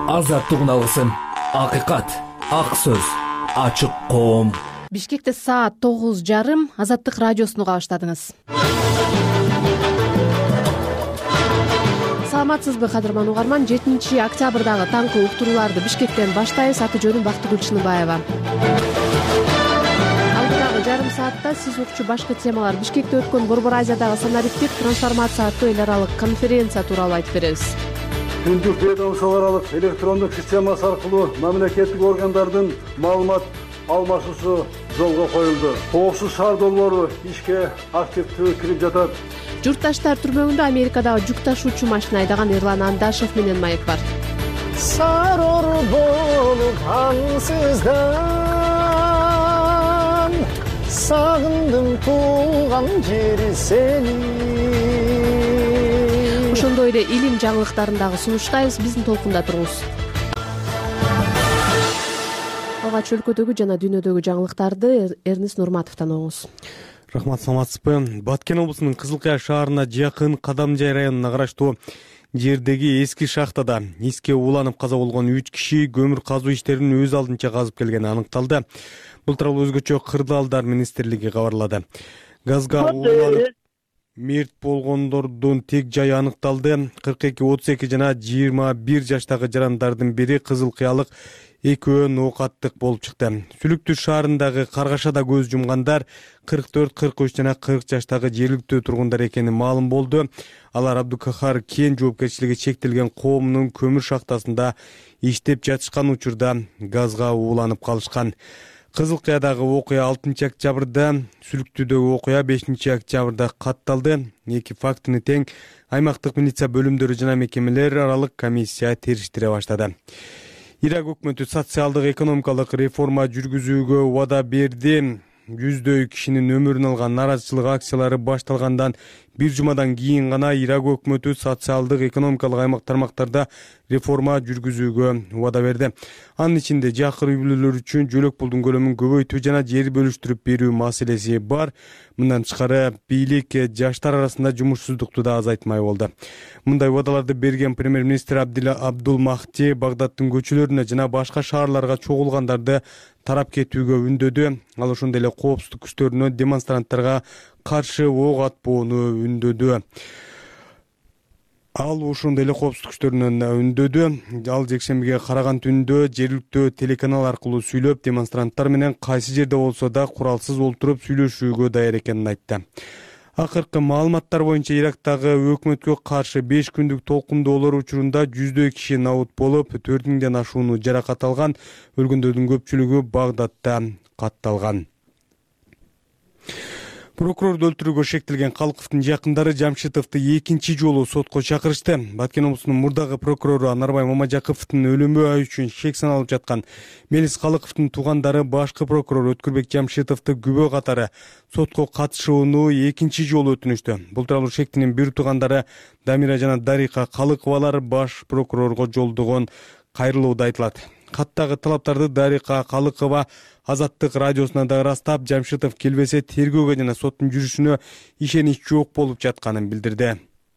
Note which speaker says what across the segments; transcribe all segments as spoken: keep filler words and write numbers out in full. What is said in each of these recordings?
Speaker 1: азаттык алгысым, акыйкат, ак сөз, ачык коом.
Speaker 2: Бишкекте саат тогуз жарым. Азаттык радиосуну кабаштадыңыз. Саламатсызбы, кадырман угарман? жетинчи октябрдагы таңкы уктурууларды Бишкектен баштайбыз. Аты жөнүм Бактыгүл Чыныбаева. Алдыдагы жарым саатта сиз укчу башкы темалар: Бишкекте өткөн Борбор Азиядагы санариптик трансформация аттуу эл аралык конференция тууралуу айтып беребиз.
Speaker 3: Түндүк ведомство аралык электрондук системасы аркылуу мамлекеттик органдардын маалымат алмашуусу жолго коюлду. Коопсуз шаар долбоору ишке активдүү кирип жатат.
Speaker 2: Журтташтар түрмөгүндө Америкадагы жүк ташуучу машина айдаган Эрлан Андашев менен маек бар.
Speaker 4: Сарор болуп ансыздан сагындым туулган жери сени.
Speaker 2: Ошондой эле илим жаңылыктарын дагы сунуштайбыз. Биздин толкунда туруңуз. Алгач өлкөдөгү жана дүйнөдөгү жаңылыктарды Эрнис Нурматовдон угуңуз.
Speaker 5: Рахмат, саламатсызбы? Баткен облусунун Кызылкая шаарына жакын Кадамжай районуна караштуу жердеги эски шахтада иске уланып каза болгон үч киши көмүр казуу иштерин өз алдынча казып келгени аныкталды. Бул тууралуу өзгөчө Кырдаалдар министрлиги кабарлады. Газга уланып мерт болгондордун тег жайы аныкталды. кырк эки отуз эки жана жыйырма бир жаштагы жарандардын бири кызылкыялык, экөө ноокаттык болуп чыкты. Сүлүктү шаарындагы Каргашада көз жумгандар кырк төрт кырк үч жана кырк жаштагы жергиликтүү тургундар экени маалым болду. Алар Абдукахар кен жоопкерчилиги чектелген коомунун көмүр шахтасында иштеп жатышкан учурда газга ууланып калышкан. Кызылкаядагы окуя алтынчы октябрда, Сүлүктүүдөгү окуя бешинчи октябрда катталды. Эки фактыны тең аймактык милиция бөлүмдөрү жана мекемелер аралык комиссия териштире баштады. Ирак өкмөтү социалдык экономикалык реформа жүргүзүүгө убада берди. Жүздөй кишинин өмүрүн алган наразычылык акциялары башталгандан бир жумадан кийин гана Ирак өкмөтү социалдык экономикалык аймак тармактарда реформа жүргүзүүгө убада берди. Анын ичинде жакыр үй бүлөлөр үчүн жөлөк пулдун көлөмүн көбөйтүү жана жер бөлүштүрүп берүү маселеси бар. Мындан тышкары бийлик жаштар арасында жумушсуздукту да азайтмай болду. Мындай убадаларды берген премьер-министр Абдул Махти Багдадтын көчөлөрүнө жана башка шаарларга чогулгандарды тарап кетүүгө үндөдү. Ал ошондой эле коопсуздук күчтөрүнө демонстранттарга каршы ок атпоону үндөдү. Ал ошондой эле коопсуздук күчтөрүнө үндөдү. Ал жекшембиге караган түндө жергиликтүү телеканал аркылуу сүйлөп, демонстранттар менен кайсы жерде болсо да куралсыз олтуруп сүйлөшүүгө даяр экенин айтты. Акыркы маалыматтар боюнча Ирактагы өкмөткө каршы беш күндүк толкундоолор учурунда жүздөй киши набут болуп, төрт миңден ашууну жаракат алган. Өлгөндөрдүн көпчүлүгү Багдадта катталган. Прокурорду өлтүрүүгө шектелген Калыковдун жакындары Жамшитовду экинчи жолу сотко чакырышты. Баткен облусунун мурдагы прокурору Анарбай Мамажаковдун өлүмү үчүн шек саналып жаткан Мелис Калыковдун туугандары башкы прокурор Өткүрбек Жамшитовду күбө катары сотко катышууну экинчи жолу өтүнүштү. Бул тууралуу шектинин бир туугандары Дамира жана Дарика Калыковалар баш прокурорго жолдогон кайрылууда айтылат. Каттагы талаптарды Дарика Калыкова Азаттык радиосуна да ырастап, Жамшитов келбесе тергөөгө жана соттун жүрүшүнө ишенич жок болуп жатканын билдирди.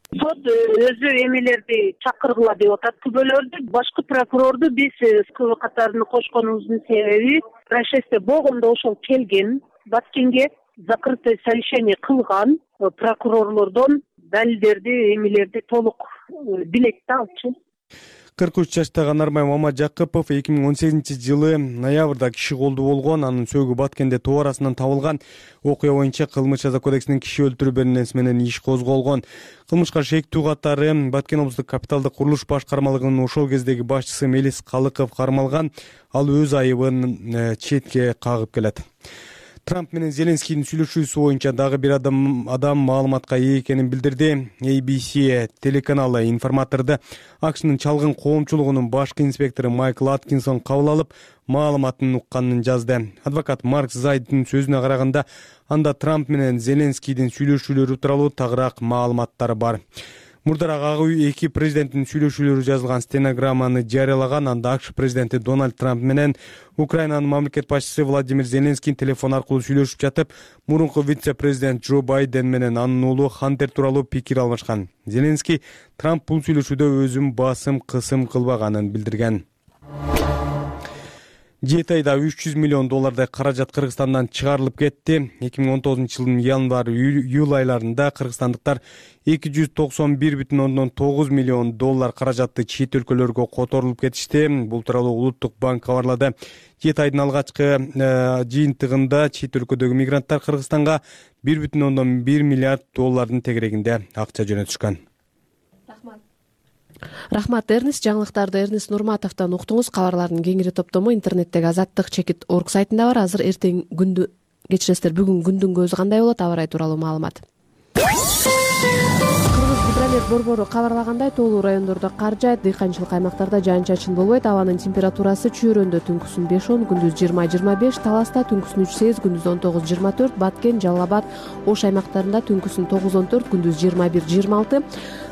Speaker 6: Сот өзү эмелерди чакыргыла деп атат, күбөлөрдү. Башкы прокурорду биз күбө катарына кошконубуздун себеби происшествие болгондо ошол келген, Баткенге закрытое совещание кылган прокурорлордон далилдерди, эмелерди толук билет да алчу.
Speaker 5: кырк үч жаштагы Анарбай Мамажакупов эки миң он сегизинчи жылы ноябрда киши колду болгон. Анын сөөгү Баткенде тоо арасынан табылган. Окуя боюнча Кылмыш жаза кодексинин киши өлтүрүү беренеси менен иш козголгон. Кылмышка шектүү катары Баткен облустук капиталдык курулуш башкармалыгынын ошол кездеги башчысы Мелис Калыков кармалган. Ал өз айыбын четке кагып келет. Трамп менен Зеленскийдин сүйлөшүүсү боюнча дагы бир адам адам маалыматка ээ экенин билдирди. эй би си телеканалы информаторду АКШнын чалгын коомчулугунун башкы инспектору Майкл Аткинсон кабыл алып, маалыматын укканын жазды. Адвокат Марк Зайддын сөзүнө караганда, анда Трамп менен Зеленскийдин сүйлөшүүлөрү тууралуу тагыраак маалыматтар бар. Мурдараак ак үй эки президенттин сүйлөшүүлөрү жазылган стенограмманы жарыялаган. Анда АКШ президенти Дональд Трамп менен Украинанын мамлекет башчысы Владимир Зеленский телефон аркылуу сүйлөшүп жатып, мурунку вице-президент Джо Байден менен анын уулу Хантер тууралуу пикир алмашкан. Зеленский Трамп бул сүйлөшүүдө өзүн басым кысым кылбаганын билдирген. Жети айда үч жүз миллион доллардай каражат Кыргызстандан чыгарылып кетти. эки миң он тогузунчу жылдын январь июль айларында кыргызстандыктар эки жүз токсон бир бүтүн ондон тогуз миллион доллар каражатты чет өлкөлөргө которулуп кетишти. Бул тууралуу Улуттук банк кабарлады. Жети айдын алгачкы жыйынтыгында чет өлкөдөгү мигранттар Кыргызстанга бир бүтүн ондон бир миллиард доллардын тегерегинде акча жөнөтүшкөн.
Speaker 2: Рахмат, Эрнис. Жаңылыктарды Эрнис Нурматовдон уктуңуз. Кабарлардын кеңири топтому интернеттеги азаттык чекит орг сайтында бар. Азыр эртең күндү кечиресиздер, бүгүн күндүн көзү кандай болот, аба ырайы тууралуу маалымат. Гидромет борбору кабарлагандай, тоолуу райондордо кар жаайт, дыйканчылык аймактарда жаан-чачын болбойт. Абанын температурасы Чүйрөндө түнкүсүн беш он, күндүз жыйырма жыйырма беш, Таласта түнкүсүн үч сегиз, күндүз он тогуз жыйырма төрт, Баткен, Жалал Абад, Ош аймактарында түнкүсүн тогуз он төрт, күндүз жыйырма бир жыйырма алты,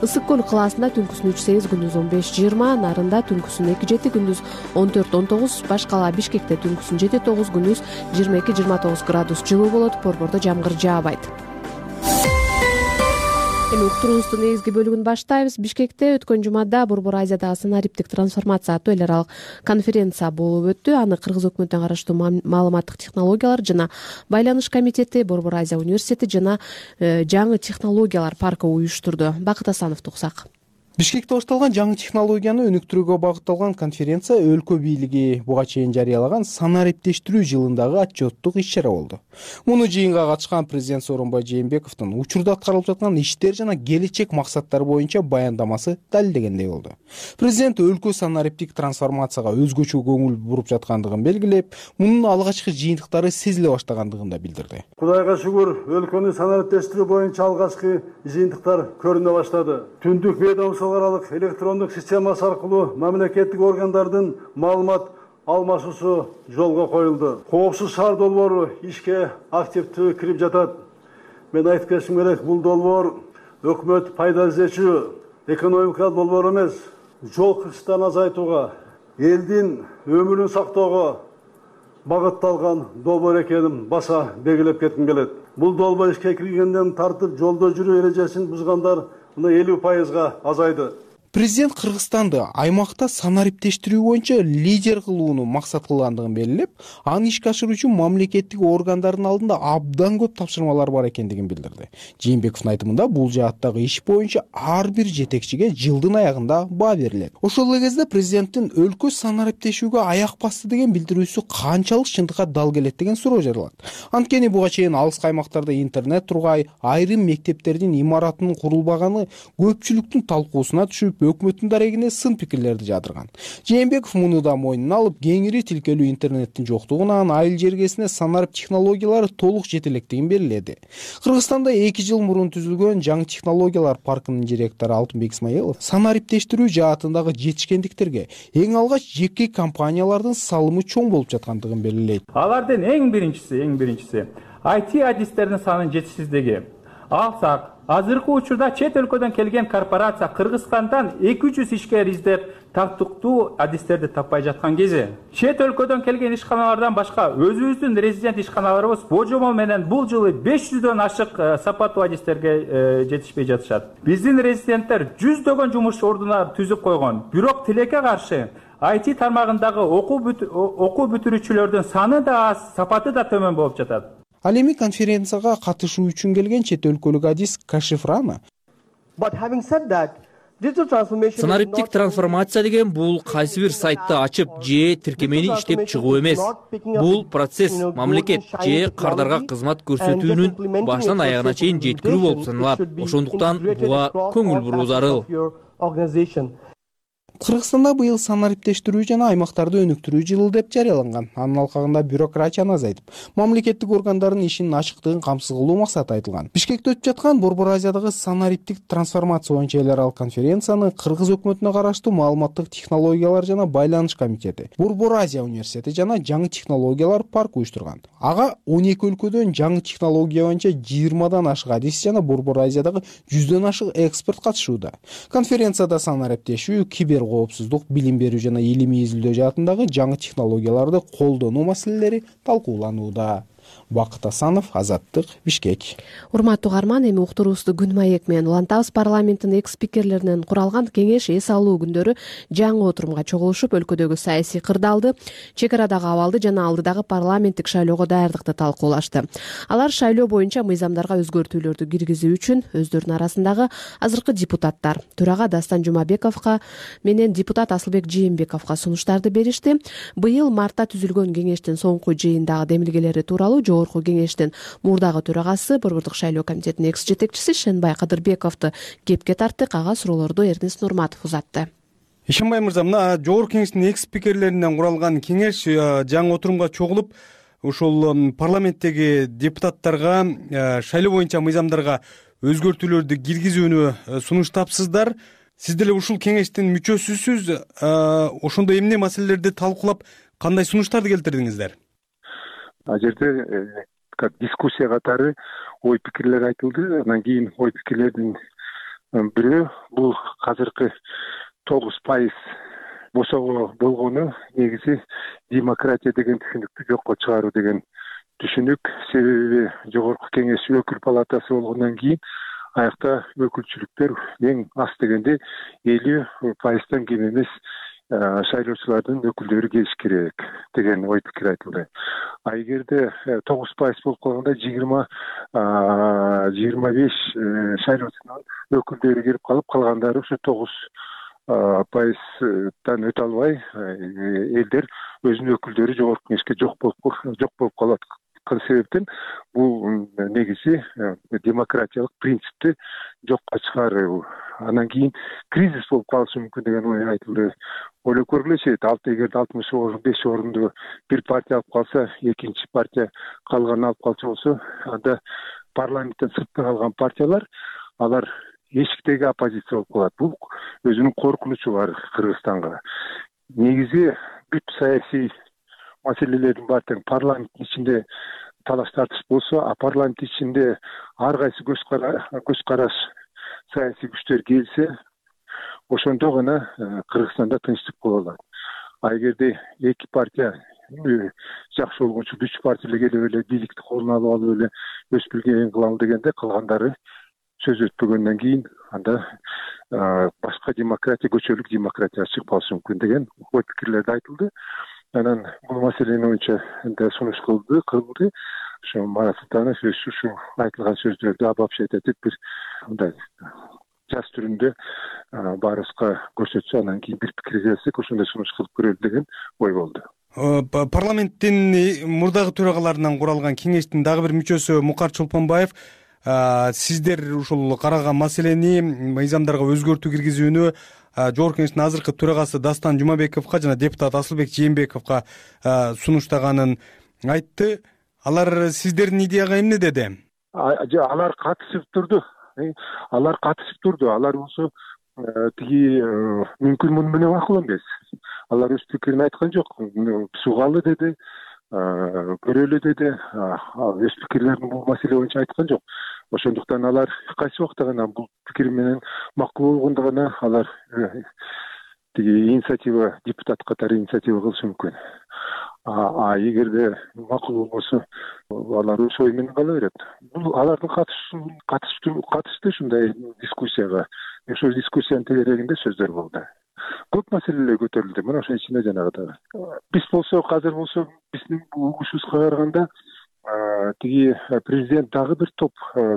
Speaker 2: Ысык көл калаасында түнкүсүн үч сегиз, күндүз он беш жыйырма, Нарында түнкүсүн эки жети, күндүз он төрт он тогуз, Баш кала Бишкекте түнкүсүн жети тогуз, күндүз жыйырма эки жыйырма тогуз градус жылуу болот. Борбордо жамгыр жаабайт. Эми уктуруубуздун негизги бөлүгүн баштайбыз. Бишкекте өткөн жумада Борбор Азиядагы санариптик трансформация аттуу эл аралык конференция болуп өттү. Аны Кыргыз өкмөтүнө караштуу маалыматтык технологиялар жана байланыш комитети, Борбор Азия университети жана жаңы технологиялар паркы уюштурду. Бакыт Асановду уксак.
Speaker 7: Бишкекте башталган жаңы технологияны өнүктүрүүгө багытталган конференция өлкө бийлиги буга чейин жарыялаган санариптештирүү жылындагы отчеттук иш-чара болду. Муну жыйынга катышкан президент Сооронбай Жээнбековдун учурда аткарылып жаткан иштер жана келечек максаттары боюнча баяндамасы далилдегендей болду. Президент өлкө санариптик трансформацияга өзгөчө көңүл буруп жаткандыгын белгилеп, мунун алгачкы жыйынтыктары сезиле баштагандыгын да билдирди.
Speaker 3: Кудайга шүгүр, өлкөнү санариптештирүү боюнча алгачкы жыйынтыктар көрүнө баштады. Түндүк ведомство аралык электрондук системасы аркылуу мамлекеттик органдардын маалымат алмашуусу жолго коюлду. Коопсуз шаар долбоору ишке активдүү кирип жатат. Мен айтып кетишим керек, бул долбоор өкмөт пайда издечү экономикалык долбоор эмес, жол кырсыктарын азайтууга, элдин өмүрүн сактоого багытталган долбоор экенин баса белгилеп кетким келет. Бул долбоор ишке киргенден тартып жолдо жүрүү эрежесин бузгандар элүү пайызга азайды.
Speaker 7: Президент Кыргызстанды аймакта санариптештирүү боюнча лидер кылууну максат кылгандыгын белгилеп, аны ишке ашыруу үчүн мамлекеттик органдардын алдында абдан көп тапшырмалар бар экендигин билдирди. Жээнбековдун айтымында бул жааттагы иш боюнча ар бир жетекчиге жылдын аягында баа берилет. Ошол эле кезде президенттин өлкө санариптешүүгө аяк басты деген билдирүүсү канчалык чындыкка дал келет деген суроо жаралат. Анткени буга чейин алыскы аймактарда интернет тургай, айрым мектептердин имаратынын курулбаганы көпчүлүктүн талкуусуна түшүп, өкмөттүн дарегине сын пикирлерди жадырган. Жээнбеков муну да мойнуна алып, кеңири тилкелүү интернеттин жоктугунан айыл жергесине санарып технологиялары толук жете электигин белгиледи. Кыргызстанда эки жыл мурун түзүлгөн жаңы технологиялар паркынын директору Алтынбек Исмаилов санариптештирүү жаатындагы жетишкендиктерге эң алгач жеке компаниялардын салымы чоң болуп жаткандыгын белгилейт.
Speaker 8: Алардын эң биринчиси, эң биринчиси ай ти адистердин санынын жетишсиздиги. Алсак, азыркы учурда чет өлкөдөн келген корпорация Кыргызстандан эки жүз ишкер издеп, тактыктуу адистерди таппай жаткан кези. Чет өлкөдөн келген ишканалардан башка өзүбүздүн резидент ишканаларыбыз божомол менен бул жылы беш жүздөн ашык сапаттуу адистерге жетишпей жатышат. Биздин резиденттер жүздөгөн жумуш ордуна түзүп койгон. Бирок тилекке каршы ай ти тармагындагы окуу бүтүрүүчүлөрдүн саны да аз, сапаты да төмөн болуп жатат.
Speaker 7: Ал эми конференцияга катышуу үчүн келген чет өлкөлүк адис Кашифрана
Speaker 9: санариптик трансформация деген бул кайсы бир сайтты ачып же тиркемени иштеп чыгуу эмес. Бул процесс мамлекет же кардарга кызмат көрсөтүүнүн башынан аягына чейин жеткирүү болуп саналат. Ошондуктан буга көңүл буруу зарыл.
Speaker 7: Кыргызстанда быйыл санариптештирүү жана аймактарды өнүктүрүү жылы деп жарыяланган. Анын алкагында бюрократияны азайтып, мамлекеттик органдардын ишинин ачыктыгын камсыз кылуу максаты айтылган. Бишкекте өтүп жаткан Борбор Азиядагы санариптик трансформация боюнча эл аралык конференцияны Кыргыз өкмөтүнө караштуу маалыматтык технологиялар жана байланыш комитети, Борбор Азия университети жана жаңы технологиялар паркы уюштурган. Ага он эки өлкөдөн жаңы технология боюнча жыйырмадан ашык адис жана Борбор Азиядагы жүздөн ашык эксперт катышууда. Конференцияда санариптешүү, кибер коопсуздук, билим берүү жана илимий изилдөө жаатындагы жаңы технологияларды колдонуу маселелери талкууланууда. Бакыт Асанов, Азаттык, Бишкек.
Speaker 2: Урматтуу угарман, эми уктуруубузду күн маек менен улантабыз. Парламенттин экс спикерлеринен куралган кеңеш эс алуу күндөрү жаңы отурумга чогулушуп, өлкөдөгү саясий кырдаалды, чек арадагы абалды жана алдыдагы парламенттик шайлоого даярдыкты талкуулашты. Алар шайлоо боюнча мыйзамдарга өзгөртүүлөрдү киргизүү үчүн өздөрүнүн арасындагы азыркы депутаттар төрага Дастан Жумабековго менен депутат Асылбек Жээнбековго сунуштарды беришти. Быйыл мартта түзүлгөн кеңештин соңку жыйындагы демилгелери тууралуу Жогорку кеңештин мурдагы төрагасы, Борбордук шайлоо комитетинин экс жетекчиси Шенбай Кадырбековду кепке тартты. Кага суроолорду Эрнест Нурматов узатты.
Speaker 5: Ишенбай мырза, мына Жогорку кеңештин экс спикерлеринен куралган кеңеш жаңы отурумга чогулуп, ушул парламенттеги депутаттарга шайлоо боюнча мыйзамдарга өзгөртүүлөрдү киргизүүнү сунуштапсыздар. Сиз деле ушул кеңештин мүчөсүсүз. Ошондо эмне маселелерди талкуулап, кандай сунуштарды келтирдиңиздер?
Speaker 10: Ал жерде как дискуссия катары ой пикирлер айтылды. Анан кийин ой пикирлердин бирөө бул азыркы тогуз пайыз босого болгону негизи демократия деген түшүнүктү жокко чыгаруу деген түшүнүк. Себеби Жогорку кеңеш өкүл палатасы болгондон кийин аякта өкүлчүлүктөр эң аз дегенде элүү пайыздан кем эмес шайлоочулардын өкүлдөрү келиш керек деген ой пикир айтылды. А эгерде тогуз пайыз болуп калганда жыйырма жыйырма беш шайлоочунун өкүлдөрү кирип калып, калгандары ушу тогуз пайыздан өтө албай элдер өзүнүн өкүлдөрү Жогорку кеңешке жок болуп жок болуп калат. Себептен бул негизи демократиялык принципти жокко чыгаруу. Анан кийин кризис болуп калышы мүмкүн деген ой айтылды. Ойлоп көргүлөчү, эгерде алтымыш беш орунду бир партия алып калса, экинчи партия калганын алып калчу болсо, анда парламенттен сыртта калган партиялар, алар эшиктеги оппозиция болуп калат. Бул өзүнүн коркунучу бар Кыргызстанга. Негизи бүт саясий маселелердин баары тең парламенттин ичинде талаш тартыш болсо, а парламент ичинде ар кайсы көз караш саясий күчтөр келсе, ошондо гана Кыргызстанда тынчтык боло алат. А эгерде эки партия жакшы болгончу үч партия эле келип эле бийликти колуна алып алып эле өз билгенин кылам дегенде, калгандары сөз өтпөгөндөн кийин анда башка демократия, көчөлүк демократия чыгып калышы мүмкүн деген ой пикирлерди айтылды. Анан бул маселени боюнча сунуш кылды, кылды. Ошо Марат Султанов ушу айтылган сөздөрдү обобщать этип бир мындай жаз түрүндө баарыбызга көрсөтсө, анан кийин бир пикир келсек, ошондой сунуш кылып көрөлү деген ой болду.
Speaker 5: Парламенттин мурдагы төрагаларынан куралган кеңештин дагы бир мүчөсү Мукар Чолпонбаев, сиздер ушул каралган маселени, мыйзамдарга өзгөртүү киргизүүнү Жогорку кеңештин азыркы төрагасы Дастан Жумабековго жана депутат Асылбек Жээнбековго сунуштаганын айтты. Алар сиздердин идеяга эмне деди?
Speaker 10: Алар катышып турду. Алар катышып турду. Алар болсо тиги мүмкүн муну менен макул эмес. Алар өз пикирин айткан жок. Сугалы деди, көрөлү деди. Өз пикирлерин бул маселе боюнча айткан жок. Ошондуктан алар кайсы убакта гана бул пикир менен макул болгондо гана алар тиги инициатива, депутат катары инициатива кылышы мүмкүн. А эгерде макул болбосо, алар өз ой менен кала берет. Бул алардын катышты ушундай дискуссияга. Ошол дискуссиянын тегерегинде сөздөр болду. Көп маселелер көтөрүлдү. Мына ошонун ичинде жанагы биз болсо, азыр болсо, биздин угушубузга караганда тиги президент дагы бир топ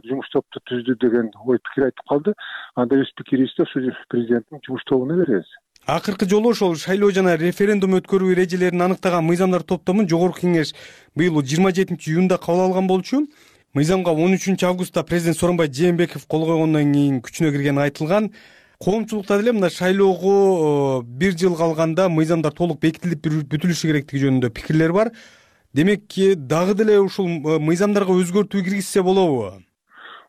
Speaker 10: жумуш топту түздү деген ой пикир айтып калды. Анда өз пикирибизди ошо президенттин жумуш тобуна беребиз.
Speaker 5: Акыркы жолу ошол шайлоо жана референдум өткөрүү эрежелерин аныктаган мыйзамдар топтомун Жогорку кеңеш быйыл жыйырма жетинчи июнда кабыл алган болчу. Мыйзамга он үчүнчү августта президент Сооронбай Жээнбеков кол койгондон кийин күчүнө киргени айтылган. коомчулукта деле мына шайлоого бир жыл калганда мыйзамдар толук бекитилип бүтүлүшү керектиги жөнүндө пикирлер бар. Демек дагы деле ушул мыйзамдарга өзгөртүү киргизсе болобу?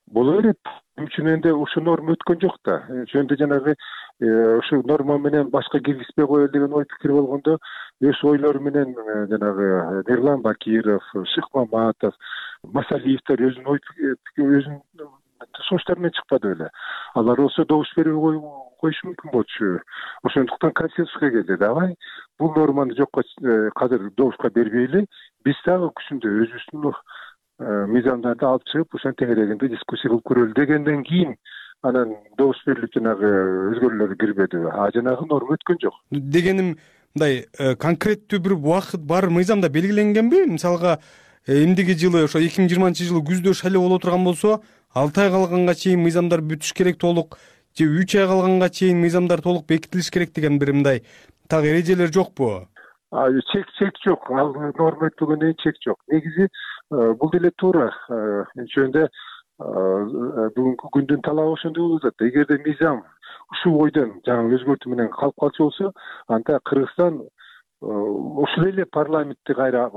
Speaker 10: Боло берет. Үчүн энди ушул норма өткөн жок да. Ошондо жанагы ушул норма менен башка киргизбей коелу деген ой пикир болгондо өз ойлору менен жанагы Эрлан Бакиров, Шык Маматов, Масалиевдер өзүнүн ой өзүнүн сунуштары менен чыкпады беле. Алар болсо добуш бербей коюшу мүмкүн болчу. Ошондуктан консенсуска келди. Давай бул норманы жокко казыр добушка бербейли. Биз дагы күчүндө өзүбүздүн мыйзамдарды алып чыгып, ошон тегерегинде дискуссия кылып көрөлү дегенден кийин анан добуш берилип жанагы өзгөрүүлөр кирбеди. А жанагы норма өткөн жок. Дегеним
Speaker 5: мындай конкреттүү бир убакыт бар мыйзамда белгиленгенби? Мисалга эмдиги жылы ошо эки миң жыйырманчы жылы күздө шайлоо боло турган болсо, алты ай калганга чейин мыйзамдар бүтүш керек толук, же үч ай калганга чейин мыйзамдар толук бекитилиш керек деген бир мындай так эрежелер жокпу?
Speaker 10: Чек чек жок. Ал норма өтпөгөндөн кийин чек жок. Негизи бул деле туура. Ошондо бүгүнкү күндүн талабы ошондой болуп атат. Эгерде мыйзам ушул ойдон жаңы өзгөртүү менен калып калчу болсо, анда Кыргызстан ушул эле парламентти кайра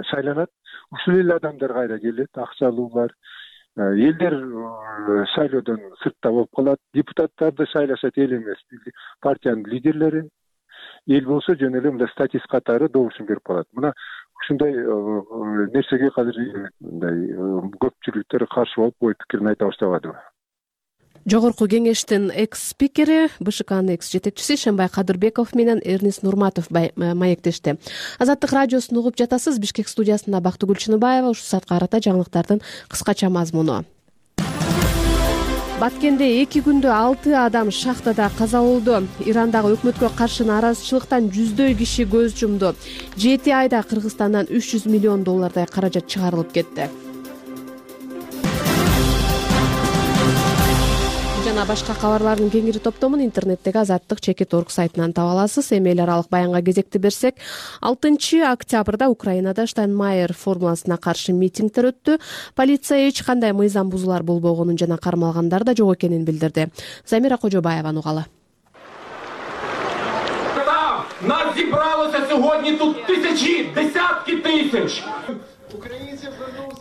Speaker 10: шайланат, ушул эле адамдар кайра келет, акчалуулар. Элдер шайлоодон сыртта болуп калат, депутаттарды шайлашат эл эмес, партиянын лидерлери. Эл болсо жөн эле мындай статист катары добушун берип калат. Мына ушундай нерсеге азыр мындай көпчүлүктөр каршы болуп ой пикирин айта баштабады.
Speaker 2: Жогорку кеңештин экс-спикери, БШКнын экс-жетекчиси Шенбай Кадырбеков менен Эрнис Нурматов маектешти. Азаттык радиосун угуп жатасыз. Бишкек студиясында Бактыгүл Чыныбаева. Ушул саатка карата жаңылыктардын кыскача мазмуну. Баткенде эки күндө алты адам шахтада каза болду. Ирандагы өкмөткө каршы нааразычылыктан жүздөй киши көз жумду. жети айда Кыргызстандан үч жүз миллион доллардай каражат чыгарылып кетти. Жана башка кабарлардын кеңири топтомун интернеттеги азаттык чекит орг сайтынан таба аласыз. Эми эл аралык баянга кезекти берсек, алтынчы октябрда Украинада Штайнмайер формуласына каршы митингдер өттү. Полиция эч кандай мыйзам бузуулар болбогонун жана кармалгандар да жок экенин билдирди. Замира Кожобаеваны угалы.
Speaker 11: Нас зібралося сьогодні тут тисячі, десятки тисяч.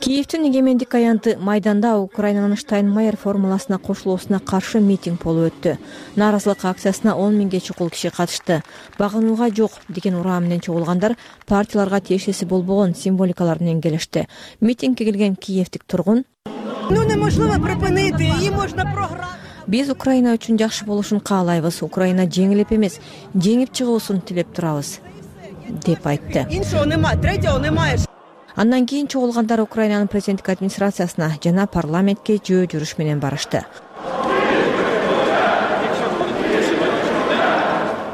Speaker 12: Киевдин эгемендик аянты майданда Украинанын Штайнмайер формуласына кошулуусуна каршы митинг болуп өттү. Нааразылык акциясына он миңге чукул киши катышты. Багынууга жок деген ураа менен чогулгандар партияларга тиешеси болбогон символикалар менен келишти. Митингге келген киевдик тургун:
Speaker 13: Ну неможливо припинити, її можна програти.
Speaker 12: Биз Украина үчүн жакшы болушун каалайбыз. Украина жеңилип эмес, жеңип чыгуусун тилеп турабыз, деп айтты.
Speaker 13: Іншого немає, третього немає.
Speaker 12: Андан кийин чогулгандар Украинанын президенттик администрациясына жана парламентке жөө жүрүш менен барышты.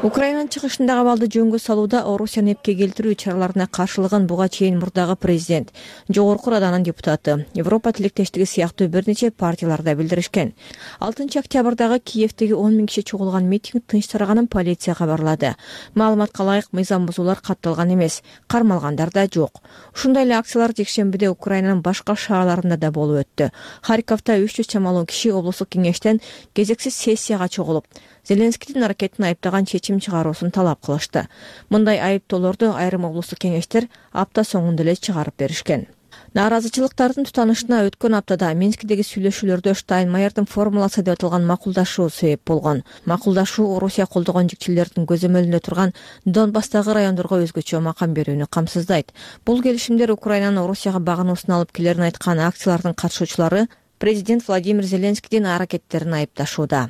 Speaker 12: Украинанын чыгышындагы абалды жөнгө салууда Орусияны эпке келтирүү чараларына каршылыгын буга чейин мурдагы президент, жогорку раданын депутаты, Европа тилектештиги сыяктуу бир нече партияларда билдиришкен. алтынчы октябрдагы Киевдеги он миң киши чогулган митинг тынч тараганын полиция кабарлады. Маалыматка ылайык мыйзам бузуулар катталган эмес, кармалгандар да жок. Ушундай эле акциялар жекшембиде Украинанын башка шаарларында да болуп өттү. Харьковдо үч жүз чамалуу киши облустук кеңештен кезексиз сессияга чогулуп, Зеленскийдин аракетин айыптаган чечим чыгаруусун талап кылышты. Мындай айыптоолорду айрым облустук кеңештер апта соңунда эле чыгарып беришкен. Нааразычылыктардын тутанышына өткөн аптада Минскидеги сүйлөшүүлөрдө Штайнмайердин формуласы деп аталган макулдашуу себеп болгон. Макулдашуу Орусия колдогон жикчилердин көзөмөлүндө турган Донбасстагы райондорго өзгөчө макам берүүнү камсыздайт. Бул келишимдер Украинанын Орусияга багынуусун алып келерин айткан акциялардын катышуучулары президент Владимир Зеленскийдин аракеттерин айыпташууда.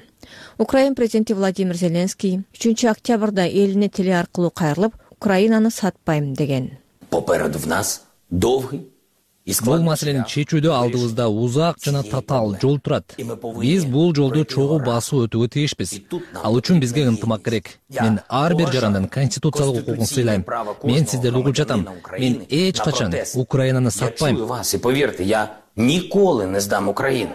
Speaker 12: Украин президенти Владимир Зеленский үчүнчү октябрда элине теле аркылуу кайрылып, Украинаны сатпайм деген.
Speaker 14: Попереду в нас долгий.
Speaker 1: Бул маселени чечүүдө алдыбызда узак жана татаал жол турат. Биз бул жолду чогуу басуу өтүүгө тийишпиз. Ал үчүн бизге ынтымак керек. Мен ар бир жарандын конституциялык укугун сыйлайм. Мен сиздерди угуп жатам. Мен эч качан Украинаны сатпайм.
Speaker 14: Поверьте, я николи не сдам Украину.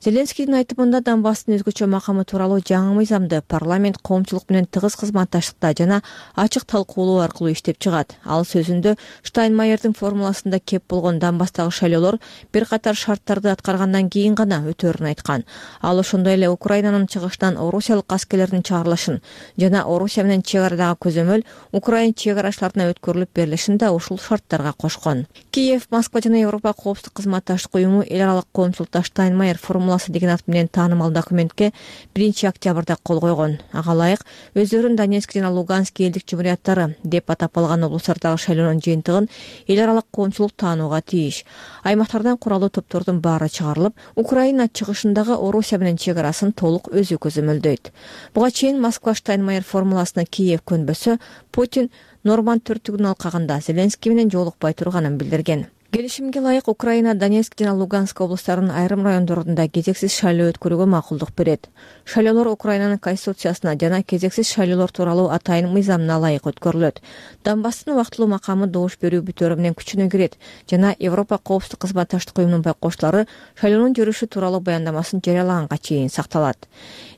Speaker 12: Зеленскийдин айтымында Донбасстын өзгөчө макамы тууралуу жаңы мыйзамды парламент коомчулук менен тыгыз кызматташтыкта жана ачык талкуулоо аркылуу иштеп чыгат. Ал сөзүндө Штайнмайердин формуласында кеп болгон Донбасстагы шайлоолор бир катар шарттарды аткаргандан кийин гана өтөөрүн айткан. Ал ошондой эле Украинанын чыгышынан орусиялык аскерлердин чыгарылышын жана Орусия менен чек арадагы көзөмөл Украин чек арачыларына өткөрүлүп берилишин да ушул шарттарга кошкон. Киев, Москва жана Европа коопсуздук кызматташтык уюму эл аралык коомчулукта Штайнмайер формуласы деген ат менен таанымал документке биринчи октябрда кол койгон. Ага ылайык өздөрүн Донецк жана Луганск элдик жумурияттары деп атап алган облустардагы шайлоонун жыйынтыгын эл аралык коомчулук таанууга тийиш. Аймактардан куралуу топтордун баары чыгарылып, Украина чыгышындагы Орусия менен чек арасын толук өзү көзөмөлдөйт. Буга чейин Москва Штайнмайер формуласына Киев көнбөсө, Путин Норманд төрттүгүнүн алкагында Зеленский менен жолукпай турганын билдирген. Келишимге ылайык Украина Донецк жана Луганск облустарынын айрым райондорунда кезексиз шайлоо өткөрүүгө макулдук берет. Шайлоолор Украинанын конституциясына жана кезексиз шайлоолор тууралуу атайын мыйзамына ылайык өткөрүлөт. Донбасстын убактылуу макамы добуш берүү бүтөөрү менен күчүнө кирет жана Европа коопсуздук кызматташтык уюмунун байкоочулары шайлоонун жүрүшү тууралуу баяндамасын жарыялаганга чейин сакталат.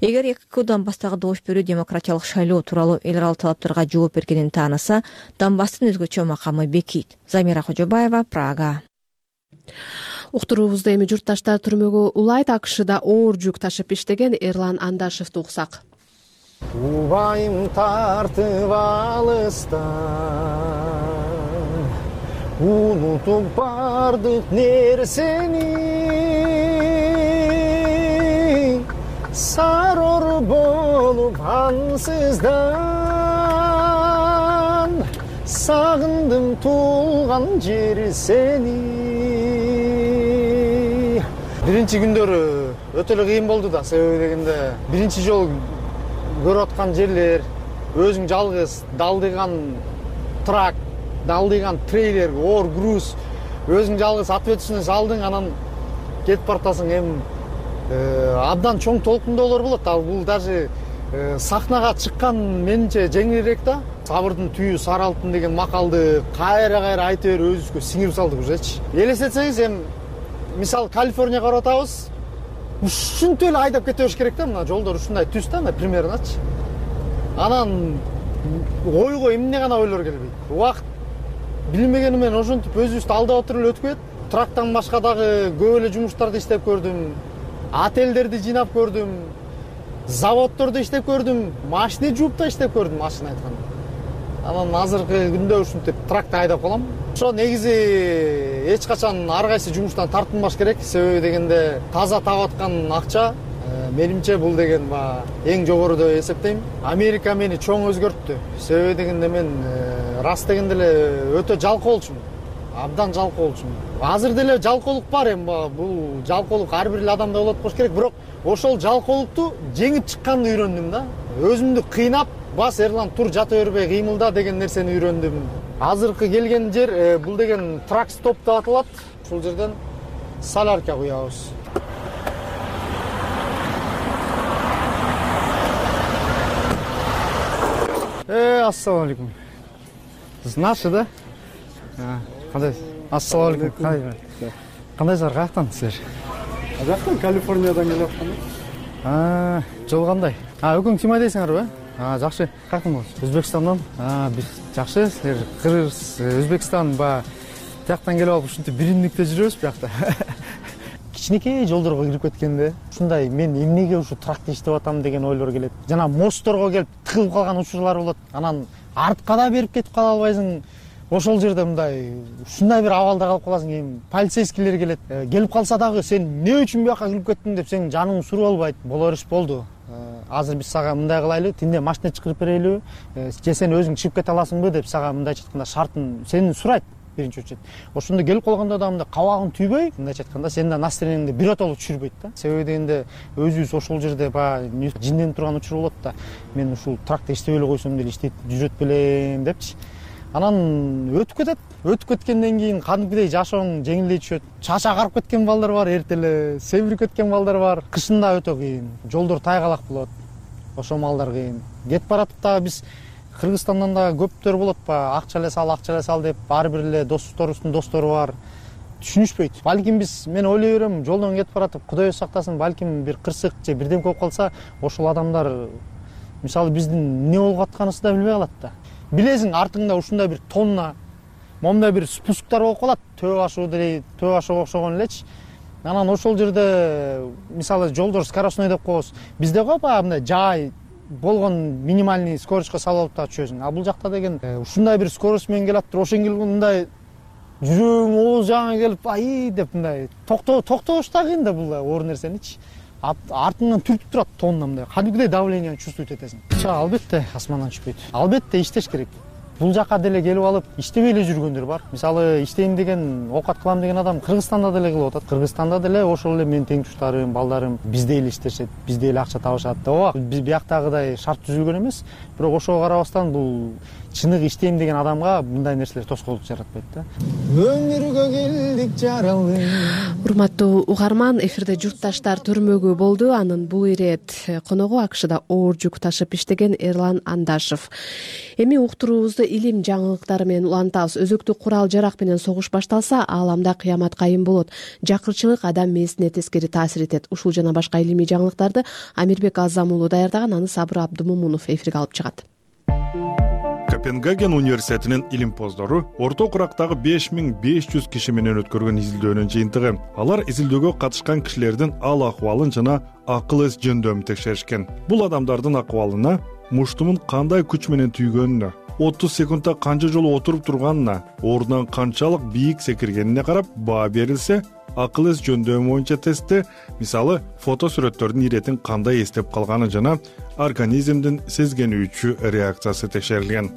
Speaker 12: Эгер ЭКК Донбасстагы добуш берүү демократиялык шайлоо тууралуу эл аралык талаптарга жооп бергенин тааныса, Донбасстын өзгөчө макамы бекийт. Замира Кожобаева, Прага.
Speaker 2: Уктуруубузду эми журтташтар түрмөгө улайт. АКШда оор жүк ташып иштеген Эрлан Андашевди уксак.
Speaker 4: Убайым тартып алыстан, унутуп бардык нерсени, сарор болуп ансыздан, сагындым туулган жери сени. Биринчи күндөрү өтө эле кыйын болду да, себеби дегенде биринчи жолу көрүп аткан жерлер, өзүң жалгыз далдыган трак, далдыган трейлер, оор груз, өзүң жалгыз ответственность алдың, анан кетип баратасың. Эми абдан чоң толкундоолор болот. Ал бул даже сахнага чыккан менимче жеңилирээк да. Сабырдын түйү сары алтын деген макалды кайра-кайра айта берип өзүбүзгө сиңирип салдык ужечи. Элестетсеңиз, эми мисалы Калифорнияга барып атабыз. Ушинтип эле айдап кете бериш керек да, мына жолдор ушундай түз да, мына примерночи. Анан ойго эмне гана ойлор келбейт. Убакыт билмегени менен ошентип өзүбүздү алдап отуруп эле өтүп кетет. Трактан башка дагы көп эле жумуштарды иштеп көрдүм. Отелдерди жыйнап көрдүм. Заводдордо иштеп көрдүм. Машина жууп да иштеп көрдүм, машина айтканда. Анан азыркы күндө ушинтип тракты айдап калам. Ошо негизи эч качан ар кайсы жумуштан тартынбаш керек. Себеби дегенде таза таап аткан акча менимче бул деген эң жогору деп эсептейм. Америка мени чоң өзгөрттү. Себеби дегенде мен рас дегенде эле өтө жалкоо болчумун. Абдан жалкоо болчумун. Азыр деле жалкоолук бар, эми бул жалкоолук ар бир эле адамда болот болуш керек, бирок ошол жалкоолукту жеңип чыкканды үйрөндүм да. Өзүмдү кыйнап, бас Эрлан тур жата бербей кыймылда деген нерсени үйрөндүм. Азыркы келген жер бул деген трак стоп деп аталат. Ушул жерден солярка куябыз. Э, ассалам алейкум. Сиз наши да? Кандай? Ассалам алейкум. Кандайсыздар, каяктансыздар?
Speaker 3: Жактан Калифорниядан келип аткам.
Speaker 4: А, жол кандай? А, өкүң ким айдайсыңарбы? А, жакшы. Каяктан болосуз? Өзбекстандан? А, бир жакшы. Силер Кыргыз, Өзбекстан ба тияктан келип алып ушинтип биримдикте жүрөбүз биякта. Кичинекей жолдорго кирип кеткенде ушундай мен эмнеге ушу тракта иштеп атам деген ойлор келет. Жана мостторго келип тыгылып калган учурлар болот. Анан артка да берип кетип кала албайсың. Ошол жерде мындай ушундай бир абалда калып каласың. Эми полицейскийлер келет. Келип калса дагы сен эмне үчүн бияка кирип кеттиң деп сенин жаның суруп албайт. Болор иш болду. Азыр биз сага мындай кылайлы, тинде машина чыгарып берелиби? Же сен өзүң чыгып кете аласыңбы деп сага мындайча айтканда шартын сени сурайт. Биринчи очередь. Ошондо келип калганда да мындай кабагың түйбөй, мындайча айтканда сенин да настроениеңди биротоло түшүрбөйт да. Себеби дегенде өзүбүз ошол жерде баягы жинденип турган учур болот да. Мен ушул тракта иштеп эле койсом деле иштеп жүрөт белем депчи. Анан өтүп кетет. Өтүп кеткенден кийин кадимкидей жашооң жеңилдей түшөт. Чач агарып кеткен балдар бар, эртеле себирип кеткен балдар бар. Кышында өтө кыйын. Жолдор тайгалак болот. Ошол малдар кыйын. Кетип баратып да биз Кыргызстандан да көптөр болот ба, акча эле сал, акча эле сал деп ар бир эле досторубуздун достору бар. түшүнүшпөйт. Балким биз мен ойлой берем, жолдон кетип баратып, Кудай сактасын, балким бир кырсык же бирдем болуп калса, ошол адамдар мисалы биздин эмне болуп атканыбызды да билбей калат да. Билесиң, артыңда ушундай бир тонна, момундай бир спусктар болуп калат, төбө ашуу деле, төбө ашууга окшогон элечи. Анан ошол жерде мисалы жолдор скоростной деп коебуз. Бизде го баягы мындай жай болгон минимальный скоростько салып алып да чөзүң. А бул жакта деген ушундай бир скорость менен келатыр, ошоң мындай жүрөгүң ооз жагыңа келип, ай деп мындай токтоо токтош да кыйын да бул оор нерсеничи. Артыңдан түртүп турат тонна мындай. Кадимгидей давлениени чувствовать этесиң. Албетте асмандан түшпөйт. Албетте иштеш керек. Бул жака деле келип алып иштебей эле жүргөндөр бар. Мисалы иштейм деген, оокат кылам деген адам Кыргызстанда деле кылып атат. Кыргызстанда деле ошол эле менин теңтуштарым, балдарым бизде эле иштешет, бизде эле акча табышат. Ооба, биз бияктагыдай шарт түзүлгөн эмес, бирок ошого карабастан бул чыныгы иштейм деген адамга мындай нерселер тоскоолдук жаратпайт да. Өмүргө келдик жаралы.
Speaker 2: Урматтуу угарман, эфирде журтташтар төрмөгү болду. Анын бул ирет коногу АКШда оор жүк ташып иштеген Эрлан Андашев. Эми уктуруубузду илим жаңылыктары менен улантабыз. Өзөктүк курал жарак менен согуш башталса, ааламда кыямат кайым болот. Жакырчылык адам мээсине тескери таасир этет. Ушул жана башка илимий жаңылыктарды Амирбек Азам уулу даярдаган, аны Сабыр Абдымомунов эфирге алып чыгат.
Speaker 15: Копенгаген университетинин илимпоздору орто курактагы беш миң беш жүз киши менен өткөргөн изилдөөнүн жыйынтыгы. Алар изилдөөгө катышкан кишилердин ал акыбалын жана акыл эс жөндөмүн текшеришкен. Бул адамдардын акыбалына муштумун кандай күч менен түйгөнүнө, отуз секундта канча жолу отуруп турганына, ордунан канчалык бийик секиргенине карап баа берилсе, акыл эс жөндөмү боюнча тестте мисалы фото сүрөттөрдүн иретин кандай эстеп калганы жана организмдин сезгенүүчү реакциясы текшерилген.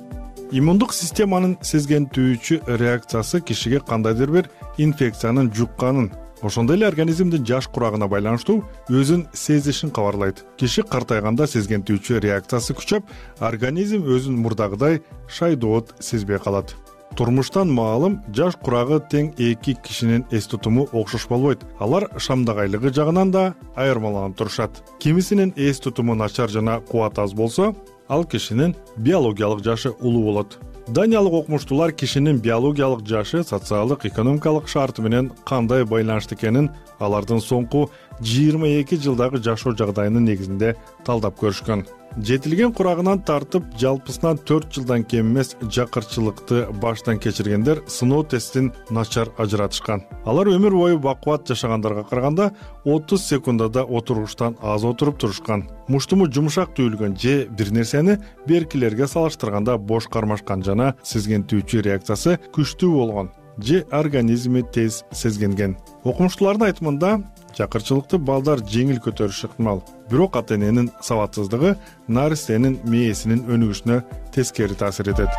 Speaker 15: Иммундук системанын сезгентүүчү реакциясы кишиге кандайдыр бир инфекциянын жукканын, ошондой эле организмдин жаш курагына байланыштуу өзүн сезишин кабарлайт. Киши картайганда сезгентүүчү реакциясы күчөп, организм өзүн мурдагыдай шайдоот сезбей калат. Турмуштан маалым, жаш курагы тең эки кишинин эс тутуму окшош болбойт. Алар шамдагайлыгы жагынан да айырмаланып турушат. Кимисинин эс тутуму начар жана кубат аз болсо, ал кишинин биологиялык жашы улуу болот. Даниялык окумуштуулар кишинин биологиялык жашы социалдык, экономикалык шарты менен кандай байланыштуу экенин алардын соңку жыйырма эки жылдагы жашоо жагдайынын негизинде талдап көрүшкөн. Жетилген курагынан тартып жалпысынан төрт жылдан кем эмес жакырчылыкты баштан кечиргендер сыноо тестин начар ажыратышкан. Алар өмүр бою бакубат жашагандарга караганда отуз секундада отуруштан аз отуруп турушкан. Муштуму жумшак түйүлгөн же бир нерсени беркилерге салыштырганда бош кармашкан жана сезгентүүчү реакциясы күчтүү болгон же организми тез сезгенген. Окумуштуулардын айтымында жакырчылыкты балдар жеңил көтөрүшү ыктымал. Бирок ата-эненин сабатсыздыгы наристенин мээсинин өнүгүшүнө тескери таасир этет.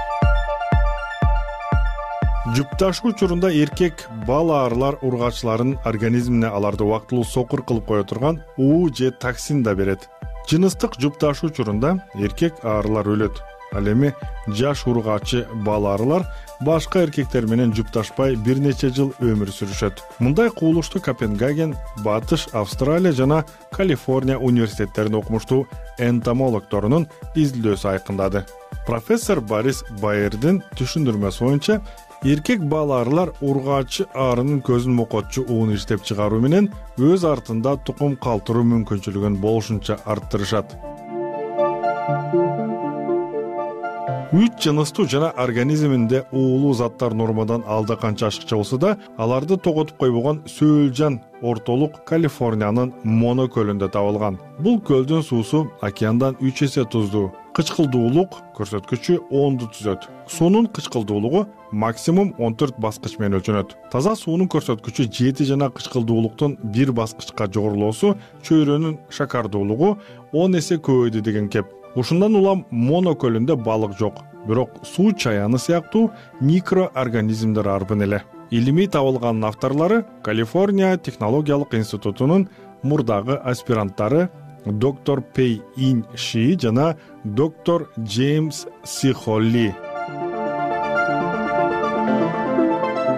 Speaker 15: Жүкташуу учурунда эркек бал аарылар ургачылардын организмине аларды убактылуу сокур кылып кое турган уу же токсин да берет. Жыныстык жүкташуу учурунда эркек аарылар өлөт. Ал эми жаш ургачы бал аарылар башка эркектер менен жүпташпай бир нече жыл өмүр сүрүшөт. Мындай кубулушту Копенгаген, Батыш Австралия жана Калифорния университеттеринин окумуштуу энтомологторунун изилдөөсү айкындады. Профессор Борис Байердин түшүндүрмөсү боюнча, эркек бал аарылар ургачы аарынын көзүн мокотчу ууну иштеп чыгаруу менен өз артында тукум калтыруу мүмкүнчүлүгүн болушунча арттырышат. Үч жыныстуу жана организминде уулуу заттар нормадан алда канча ашыкча болсо да, аларды тоготуп койбогон сөөлжан ортолук Калифорниянын Моно көлүндө табылган. Бул көлдүн суусу океандан үч эсе туздуу. Кычкылдуулук көрсөткүчү онду түзөт. Суунун кычкылдуулугу максимум он төрт баскыч менен өлчөнөт. Таза суунун көрсөткүчү жети жана кычкылдуулуктун бир баскычка жогорулоосу чөйрөнүн шакардуулугу он эсе көбөйдү деген кеп. Ушундан улам Моно көлүндө балык жок, бирок суу чаяны сыяктуу микроорганизмдер арбын эле. Илимий табылганын авторлору Калифорния технологиялык институтунун мурдагы аспиранттары доктор Пей Ин Ши жана доктор Джеймс Сихолли.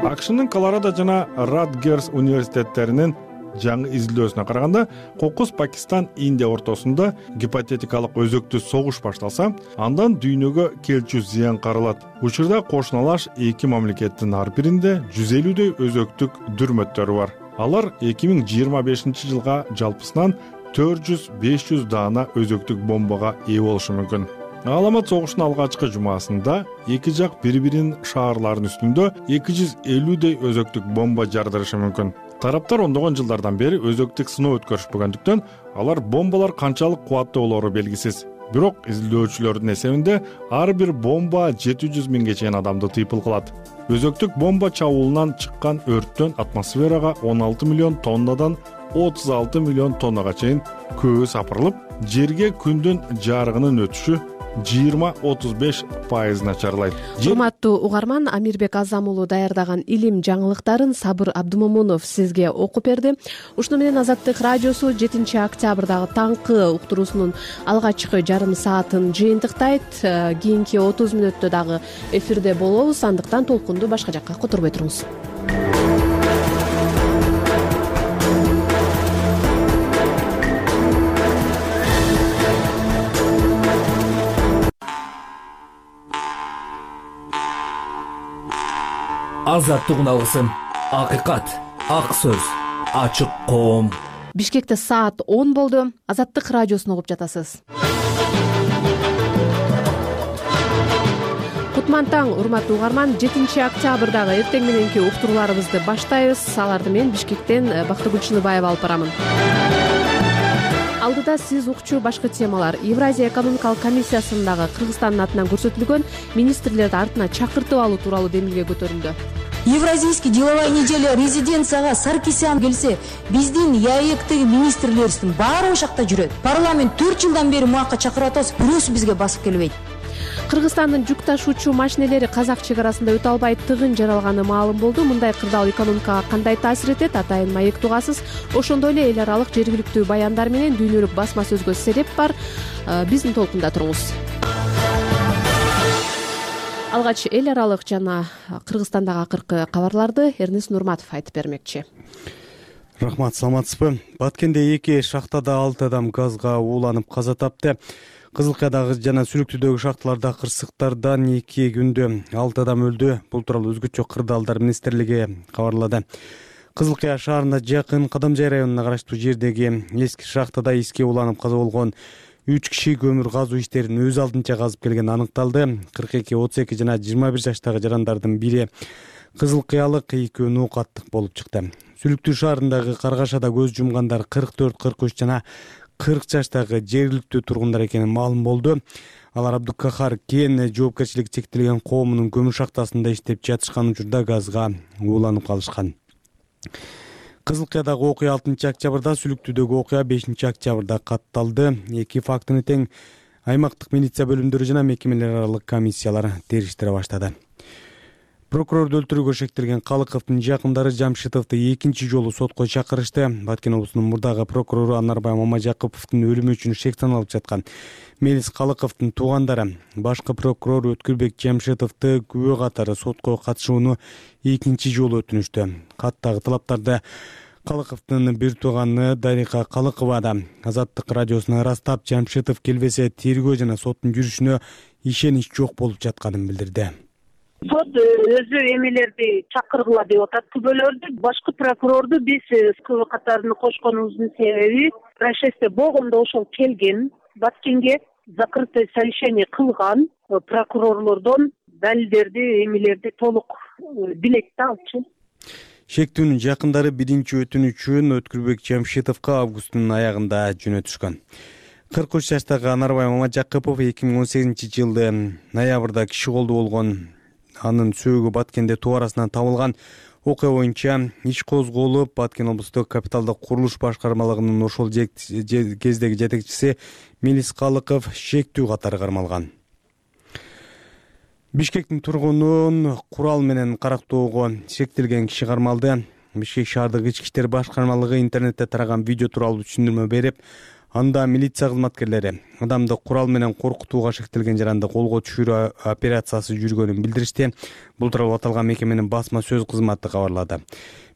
Speaker 15: АКШнын Колорадо жана Радгерс университеттеринин жаңы изилдөөсүнө караганда кокус Пакистан Индия ортосунда гипотетикалык өзөктүү согуш башталса, андан дүйнөгө келчү зыян каралат. Учурда кошуналаш эки мамлекеттин ар биринде жүз элүүдөй өзөктүк дүрмөттөрү бар. Алар эки миң жыйырма бешинчи жылга жалпысынан төрт жүз беш жүз даана өзөктүк бомбага ээ болушу мүмкүн. Галамат согуштун алгачкы жумасында эки жак бири-биринин шаарларынын үстүндө эки жүз элүүдөй өзөктүк бомба жардырышы мүмкүн. Тараптар ондогон жылдардан бери өзөктүк сыноо өткөрүшпөгөндүктөн алар бомбалар канчалык кубаттуу болоору белгисиз. Бирок изилдөөчүлөрдүн эсебинде ар бир бомба жети жүз миңге чейин адамды тыйпыл кылат. Өзөктүк бомба чабуулунан чыккан өрттөн атмосферага он алты миллион тоннадан отуз алты миллион тоннага чейин көбү сапырылып, жерге күндүн жарыгынын өтүшү жыйырма отуз беш пайыз начарлайт.
Speaker 2: Урматтуу угарман, Амирбек Азам уулу даярдаган илим жаңылыктарын Сабыр Абдымомунов сизге окуп берди. Ушуну менен Азаттык радиосу жетинчи октябрдагы таңкы уктуруусунун алгачкы жарым саатын жыйынтыктайт. Кийинки отуз мүнөттө дагы эфирде болобуз, андыктан толкунду башка жакка которбой туруңуз.
Speaker 1: Азаттыгын алгысым, акыйкат, ак сөз, ачык коом.
Speaker 2: Бишкекте саат он болду. Азаттык радиосун угуп жатасыз. Кутман таң, урматтуу угарман, жетинчи октябрдагы эртең мененки уктурууларыбызды баштайбыз. Аларды мен Бишкектен Бактыгүл Чыныбаева алып барамын. Алдыда сиз укчу башкы темалар. Евразия экономикалык комиссиясындагы Кыргызстандын атынан көрсөтүлгөн министрлерди артына чакыртып алуу тууралуу демилге көтөрүлдү.
Speaker 16: Евразийский деловая неделя резиденцияга Саркисян келсе, биздин ЯЭКтеги министрлерибиздин баары ошакта жүрөт. Парламент төрт жылдан бери муакка чакырып атабыз, бирөөсү бизге басып келбейт.
Speaker 2: Кыргызстандын жүк ташуучу машинелери казак чек арасында өтө албай тыгын жаралганы маалым болду. Мындай кырдаал экономикага кандай таасир этет, атайын маек тугасыз. Ошондой эле эл аралык жергиликтүү баяндар менен дүйнөлүк басма сөзгө себеп бар. Биздин толкунда туруңуз. Алгач эл аралык жана Кыргызстандагы акыркы кабарларды Эрнис Нурматов айтып бермекчи.
Speaker 5: Рахмат, саламатсызбы? Баткенде эки шахтада алты адам газга ууланып каза тапты. Кызылкаядагы жана Сүлүктүүдөгү шахталарда кырсыктардан эки күндө алты адам өлдү. Бул тууралуу өзгөчө кырдаалдар министрлиги кабарлады. Кызылкая шаарына жакын Кадамжай районуна караштуу жердеги эски шахтада иске уланып каза болгон үч киши көмүр казуу иштерин өз алдынча казып келгени аныкталды. кырк эки, отуз эки жана жыйырма бир жаштагы жарандардын бири кызылкаялык, экөө ноокаттык болуп чыкты. Сүлүктүү шаарындагы Каргашада көз жумгандар кырк төрт, кырк үч жана кырк жаштагы жергиликтүү тургундар экени маалым болду. Алар Абдукахар кен жоопкерчилиги чектелген коомунун көмүр шахтасында иштеп жатышкан учурда газга ууланып калышкан. Кызылкаядагы окуя алтынчы октябрда, Сүлүктүүдөгү окуя бешинчи октябрда катталды. Эки фактыны тең аймактык милиция бөлүмдөрү жана мекемелер аралык комиссиялар териштире баштады. Прокурорду өлтүрүүгө шектелген Калыковдун жакындары Жамшитовду экинчи жолу сотко чакырышты. Баткен облусунун мурдагы прокурору Анарбай Мамажакыповдун өлүмү үчүн шек саналып жаткан Мелис Калыковдун туугандары башкы прокурор Өткүлбек Жамшитовду күбө катары сотко катышууну экинчи жолу өтүнүштү. Каттагы талаптарды Калыковдун бир тууганы Дарика Калыкова да Азаттык радиосуна ырастап, Жамшитов келбесе тергөө жана соттун жүрүшүнө ишенич жок болуп жатканын билдирди.
Speaker 6: Сот өзү эмелерди чакыргыла деп атат, күбөлөрдү. Башкы прокурорду биз күбө катарына кошконубуздун себеби происшествие болгондо ошол келген, Баткенге закрытое совещание кылган прокурорлордон далилдерди, эмелерди толук билет да алчу.
Speaker 5: Шектүүнүн жакындары биринчи өтүнүчүн Өткүлбек Жамшитовго августтун аягында жөнөтүшкөн. кырк үч жаштагы Анарбай Мамажакыпов эки миң он сегизинчи жылы ноябрда киши колдуу болгон. Анын сөөгү Баткенде тоо арасынан табылган. Окуя боюнча иш козголуп, Баткен облустук капиталдык курулуш башкармалыгынын ошол кездеги жетекчиси Мелис Калыков шектүү катары кармалган. Бишкектин тургунун курал менен карактоого шектелген киши кармалды. Бишкек шаардык ички иштер башкармалыгы интернетте тараган видео тууралуу түшүндүрмө берип, Анда милиция кызматкерлери адамды курал менен коркутууга шектелген жаранды колго түшүрүү операциясы жүргөнүн билдиришти. Бул тууралуу аталган мекеменин басма сөз кызматы кабарлады.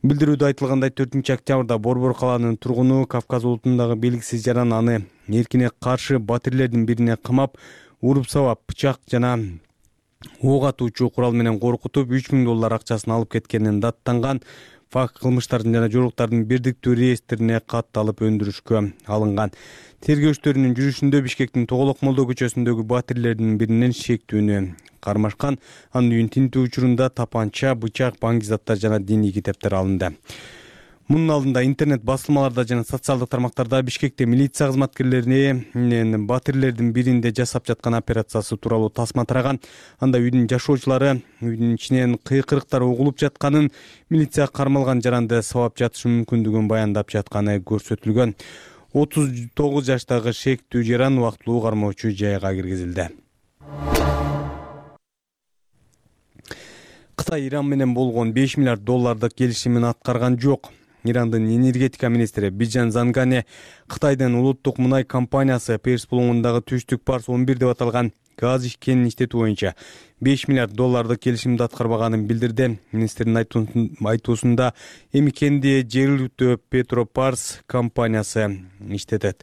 Speaker 5: Билдирүүдө айтылгандай төртүнчү октябрда Борбор калаанын тургуну Кавказ улутундагы белгисиз жаран аны эркине каршы батирлердин бирине камап, уруп сабап, бычак жана ок атуучу курал менен коркутуп үч миң доллар акчасын алып кеткенин даттанган. Факт кылмыштардын жана жоруктардын бирдиктүү реестрине катталып өндүрүшкө алынган. Тергөөчтөрүнүн жүрүшүндө Бишкектин Тоголок Молдо көчөсүндөгү батирлердин биринен шектүүнү кармашкан. Анын үйүн тинтүү учурунда тапанча, бычак, баңги заттар жана диний китептер алынды. Мунун алдында интернет басылмаларда жана социалдык тармактарда Бишкекте милиция кызматкерлеринин батирлердин биринде жасап жаткан операциясы тууралуу тасма тараган. Анда үйдүн жашоочулары үйдүн ичинен кыйкырыктар угулуп жатканын, милиция кармалган жаранды сабап жатышы мүмкүндүгүн баяндап жатканы көрсөтүлгөн. отуз тогуз жаштагы шектүү жаран убактылуу кармоочу жайга киргизилди. Кытай Иран менен болгон беш миллиард доллардык келишимин аткарган жок. Ирандын энергетика министри Биджан Зангане Кытайдын улуттук мунай компаниясы Перс булуңундагы түштүк Парс он бир деп аталган газ ишкенин иштетүү боюнча беш миллиард доллардык келишимди аткарбаганын билдирди. Министрдин айтуусунда эми кенди жергиликтүү Петропарс компаниясы иштетет.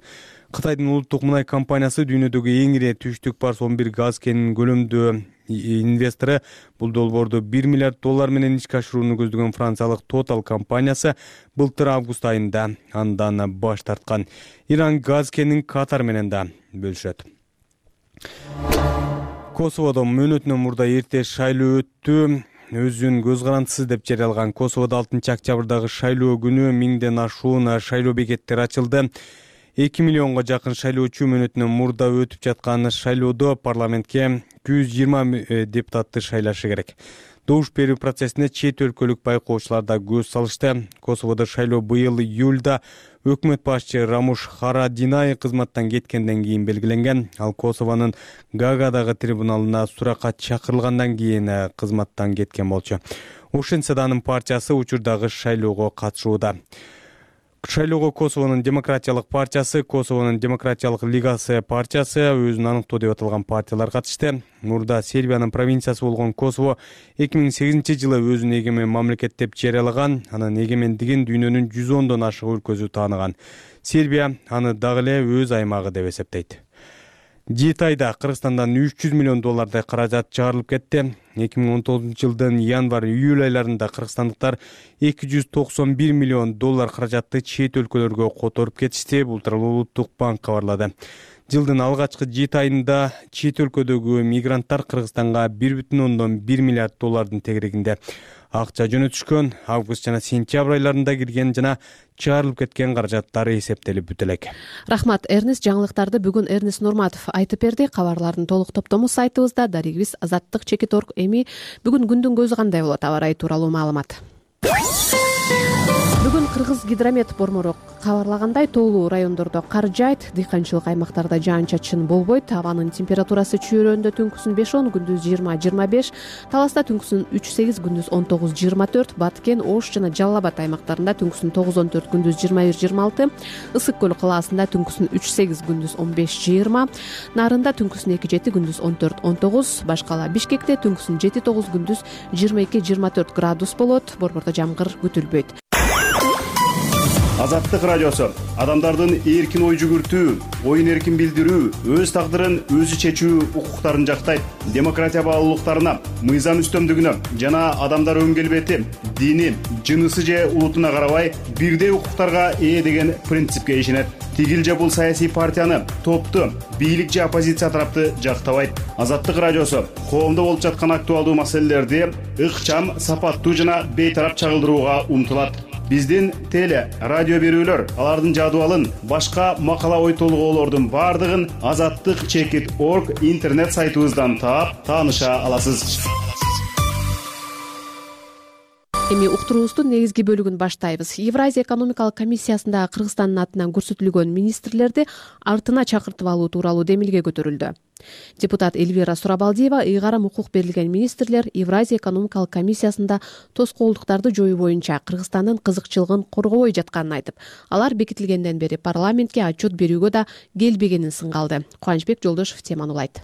Speaker 5: Кытайдын улуттук мунай компаниясы дүйнөдөгү эң ири түштүк Парс он бир газ кенинин көлөмдүү инвестору. Бул долбоорду бир миллиард доллар менен ишке ашырууну көздөгөн франциялык Total компаниясы былтыр август айында андан баш тарткан. Иран газ кенин Катар менен да бөлүшөт. Косоводо мөөнөтүнөн мурда эрте шайлоо өттү. Өзүн көз карандысыз деп жарыялган Косоводо алтынчы октябрдагы шайлоо күнү миңден ашуун шайлоо бекеттери ачылды. эки миллионго жакын шайлоочу мөөнөтүнөн мурда өтүп жаткан шайлоодо парламентке жүз жыйырма депутатты шайлашы керек. Добуш берүү процессине чет өлкөлүк байкоочулар да көз салышты. Косоводо шайлоо быйыл июлда өкмөт башчы Рамуш Харадинай кызматтан кеткенден кийин белгиленген. Ал Косовонун Гаагадагы трибуналына суракка чакырылгандан кийин кызматтан кеткен болчу. Ошентсе да анын партиясы учурдагы шайлоого катышууда. Шайлоого Косовонун демократиялык партиясы, Косовонун демократиялык лигасы партиясы, өзүн аныктоо деп аталган партиялар катышты. Мурда Сербиянын провинциясы болгон Косово эки миң сегизинчи жылы өзүн эгемен мамлекет деп жарыялаган. Анын эгемендигин дүйнөнүн жүз ондон ашык өлкөсү тааныган. Сербия аны дагы эле өз аймагы деп эсептейт. Жети айда Кыргызстандан үч жүз миллион доллардай каражат чыгарылып кетти. эки миң он тогузунчу жылдын январь-июль айларында кыргызстандыктар эки жүз токсон бир миллион доллар каражатты чет өлкөлөргө которуп кетишти. Бул тууралуу Улуттук банк кабарлады. Жылдын алгачкы жети айында чет өлкөдөгү мигранттар Кыргызстанга бир бүтүн ондон бир миллиард доллардын тегерегинде акча жөнөтүшкөн. Август жана сентябрь айларында кирген жана чыгарылып кеткен каражаттары эсептелип бүтө элек.
Speaker 2: Рахмат, Эрнест. Жаңылыктарды бүгүн Эрнест Нурматов айтып берди. Кабарлардын толук топтому сайтыбызда. Дарегибиз азаттык чекит точка орг. Эми бүгүн күндүн көзү кандай болот? Аба ырайы тууралуу маалымат. Бүгүн Кыргыз гидромет бормору кабарлагандай, тоолуу райондордо кар жаайт, дыйканчылык аймактарда жаан-чачын болбойт. Абанын температурасы чүйрөндө түнкүсүн беш он, күндүз жыйырма жыйырма беш, Таласта түнкүсүн үч сегиз, күндүз он тогуз жыйырма төрт, Баткен, Ош жана Жалал Абад аймактарында түнкүсүн тогуз он төрт, күндүз жыйырма бир жыйырма алты, Ысык көл калаасында түнкүсүн үч сегиз, күндүз он беш жыйырма, Нарында түнкүсүн эки жети, күндүз он төрт он тогуз, башкала Бишкекте түнкүсүн жети тогуз, күндүз жыйырма эки жыйырма төрт градус болот. Борбордо жамгыр күтүлбөйт.
Speaker 17: Азаттык радиосу адамдардын эркин ой жүгүртүү, оюн эркин билдирүү, өз тагдырын өзү чечүү укуктарын жактайт. Демократия баалуулуктарына, мыйзам үстөмдүгүнө жана адамдар өн келбети, дини, жынысы же улутуна карабай бирдей укуктарга ээ деген принципке ишенет. Тигил же бул саясий партияны, топту, бийлик же оппозиция тарапты жактабайт. Азаттык радиосу коомдо болуп жаткан актуалдуу маселелерди ыкчам, сапаттуу жана бейтарап чагылдырууга умтулат. Биздин теле, радио берүүлөр, алардын жадыбалын, башка макала ой толгоолордун бардыгын азаттык чекит точка орг интернет сайтыбыздан таап, тааныша аласыз.
Speaker 2: Эми уктуруубуздун негизги бөлүгүн баштайбыз. Евразия экономикалык комиссиясында Кыргызстандын атынан көрсөтүлгөн министрлерди артына чакыртып алуу тууралуу демилге көтөрүлдү. Депутат Эльвира Сурабалдиева ыйгарым укук берилген министрлер Евразия экономикалык комиссиясында тоскоолдуктарды жоюу боюнча Кыргызстандын кызыкчылыгын коргобой жатканын айтып, алар бекитилгенден бери парламентке отчет берүүгө да келбегенин сынга алды. Кубанычбек Жолдошев теманы улайт.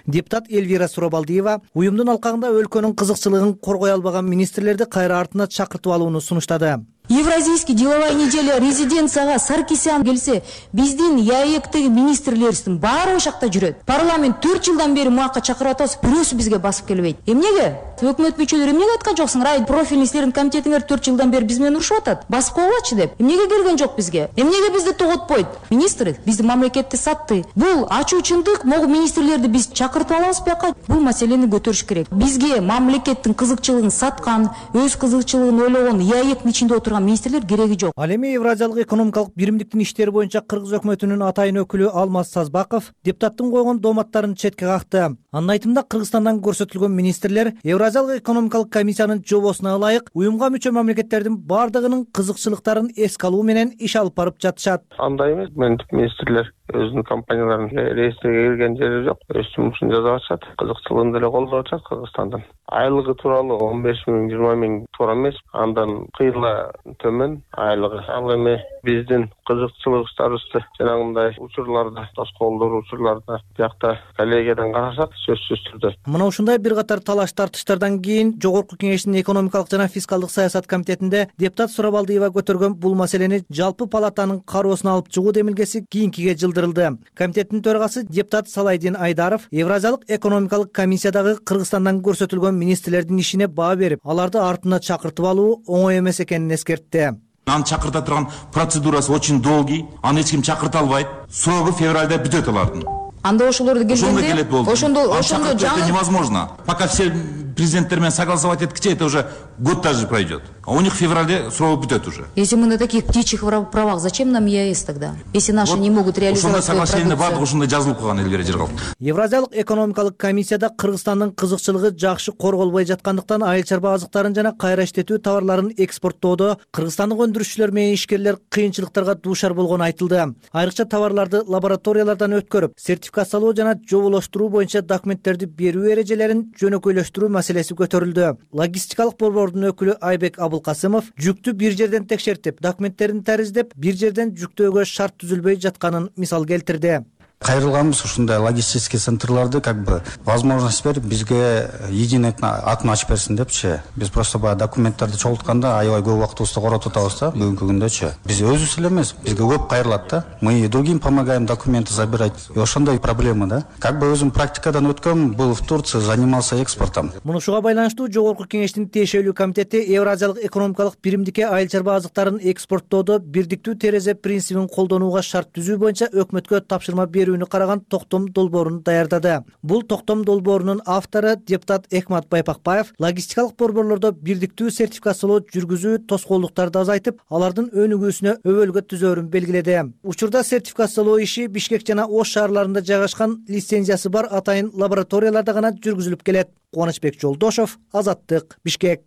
Speaker 18: Депутат Эльвира Сурабалдиева уюмдун алкагында өлкөнүн кызыкчылыгын коргой албаган министрлерди кайра артына чакыртып алууну сунуштады.
Speaker 16: Евразийский деловая неделя резиденцияга Саркисян келсе, биздин ЯЭКтеги министрлерибиздин баары ошакта жүрөт. Парламент төрт жылдан бери муакка чакырып атабыз, бирөөсү бизге басып келбейт. Эмнеге? Өкмөт мүчөлөрү эмнеге айткан жоксуң? Рай профильный иштердин комитетиңер төрт жылдан бери биз менен урушуп атат. Басып койгучу деп. Эмнеге келген жок бизге? Эмнеге бизди тоготпойт? Министр биздин мамлекетти сатты. Бул ачуу чындык, могу министрлерди биз чакыртып алабыз бияка. Бул маселени көтөрүш керек. Бизге мамлекеттин кызыкчылыгын саткан, өз кызыкчылыгын ойлогон ЯЭКтин ичинде отурган министрлер кереги жок.
Speaker 18: Ал эми Евразиялык экономикалык биримдиктин иштери боюнча Кыргыз өкмөтүнүн атайын өкүлү Алмаз Сазбаков депутаттын койгон дооматтарын четке какты. Анын айтымында Кыргызстандан көрсөтүлгөн министрлер Евразиялык экономикалык комиссиянын жобосуна ылайык уюмга мүчө мамлекеттердин бардыгынын кызыкчылыктарын эске алуу менен иш алып барып жатышат.
Speaker 19: Андай эмес, министрлер өзүнүн компанияларын реестриге кирген жери жок, өз жумушун жасап атышат, кызыкчылыгын деле колдоп атышат Кыргызстандын. Айлыгы тууралуу он беш миң, жыйырма миң туура эмес, андан кыйла төмөн айлыгы. Ал эми биздин кызыкчылыктарыбызды жанагындай учурларда, тоскоолдор учурларда биякта коллегиядан карасак, сөзсүз түрдө.
Speaker 18: Мына ушундай бир катар талаш тартыштардан кийин Жогорку Кеңештин экономикалык жана фискалдык саясат комитетинде депутат Сурабалдиева көтөргөн бул маселени жалпы палатанын кароосуна алып чыгуу демилгеси кийинкиге жылдырылды. Комитеттин төрагасы депутат Салайдин Айдаров Евразиялык экономикалык комиссиядагы Кыргызстандан көрсөтүлгөн министрлердин ишине баа берип, аларды артына чакыртып алуу оңой эмес экенин эскертти.
Speaker 20: Аны чакырта турган процедурасы очень долгий, аны эч ким чакырта албайт. Срогу февралда бүтөт алардын.
Speaker 16: Анда ошолорду келгенде,
Speaker 20: ошондо ошондо это невозможно. Пока все президенттер менен согласовать эткиче, это уже год даже пройдет. А у них в феврале срок бүтөт уже.
Speaker 16: Если мы на таких птичьих правах, зачем нам ЕАЭС тогда? Если наши вот не могут реализовать свою продукцию.
Speaker 20: Соглашение бардык ушундай жазылып калган Эльвира Жергал.
Speaker 18: Евразиялык экономикалык комиссияда Кыргызстандын кызыкчылыгы жакшы корголбой жаткандыктан айыл чарба азыктарын жана кайра иштетүү товарларын экспорттоодо кыргызстандык өндүрүшчүлөр менен ишкерлер кыйынчылыктарга дуушар болгону айтылды. Айрыкча товарларды лабораториялардан өткөрүп, сертификациялоо жана жоболоштуруу боюнча документтерди берүү эрежелерин жөнөкөйлөштүрүү маселеси көтөрүлдү. Логистикалык борбордун өкүлү Айбек Абылкасымов жүктү бир жерден текшертип, документтерин тариздеп, бир жерден жүктөөгө шарт түзүлбөй жатканын мисал келтирди.
Speaker 21: Кайрылганбыз ушундай логистический центрларды как бы возможность берип бизге единый атын ачып берсин депчи. Биз просто баягы документтерди чогултканда аябай көп убактыбызды коротуп атабыз да бүгүнкү күндөчү. Биз өзүбүз эле эмес, бизге көп кайрылат да. Мы и другим помогаем документы забирать. И ошондой проблема да. Как бы өзүм практикадан өткөм, был в Турции, занимался экспортом.
Speaker 18: Мунушуга байланыштуу Жогорку Кеңештин тиешелүү комитети Евразиялык экономикалык биримдикке айыл чарба азыктарын экспорттоодо бирдиктүү терезе принцибин колдонууга шарт түзүү боюнча өкмөткө тапшырма берүүнү караган токтом долбоорун даярдады. Бул токтом долбоорунун автору депутат Экмат Байпакбаев логистикалык борборлордо бирдиктүү сертификациялоо жүргүзүү тоскоолдуктарды азайтып, алардын өнүгүүсүнө өбөлгө түзөөрүн белгиледи. Учурда сертификациялоо иши Бишкек жана Ош шаарларында жайгашкан лицензиясы бар атайын лабораторияларда гана жүргүзүлүп келет. Кубанычбек Жолдошев, Азаттык, Бишкек.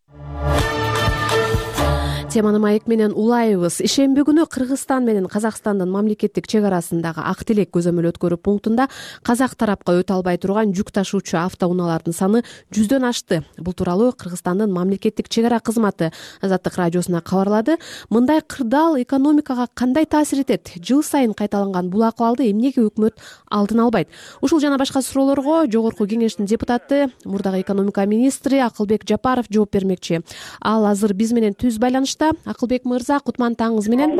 Speaker 2: Теманы маек менен улайбыз. Ишемби күнү Кыргызстан менен Казакстандын мамлекеттик чек арасындагы Ак Тилек көзөмөл өткөрүү пунктунда казак тарапка өтө албай турган жүк ташуучу автоунаалардын саны жүздөн ашты. Бул тууралуу Кыргызстандын мамлекеттик чек ара кызматы Азаттык радиосуна кабарлады. Мындай кырдаал экономикага кандай таасир этет? Жыл сайын кайталанган бул акыбалды эмнеге өкмөт алдын албайт? Ушул жана башка суроолорго Жогорку Кеңештин депутаты, мурдагы экономика министри Акылбек Жапаров жооп бермекчи. Ал азыр биз менен түз байланышта. Акылбек мырза, кутман таңыңыз менен.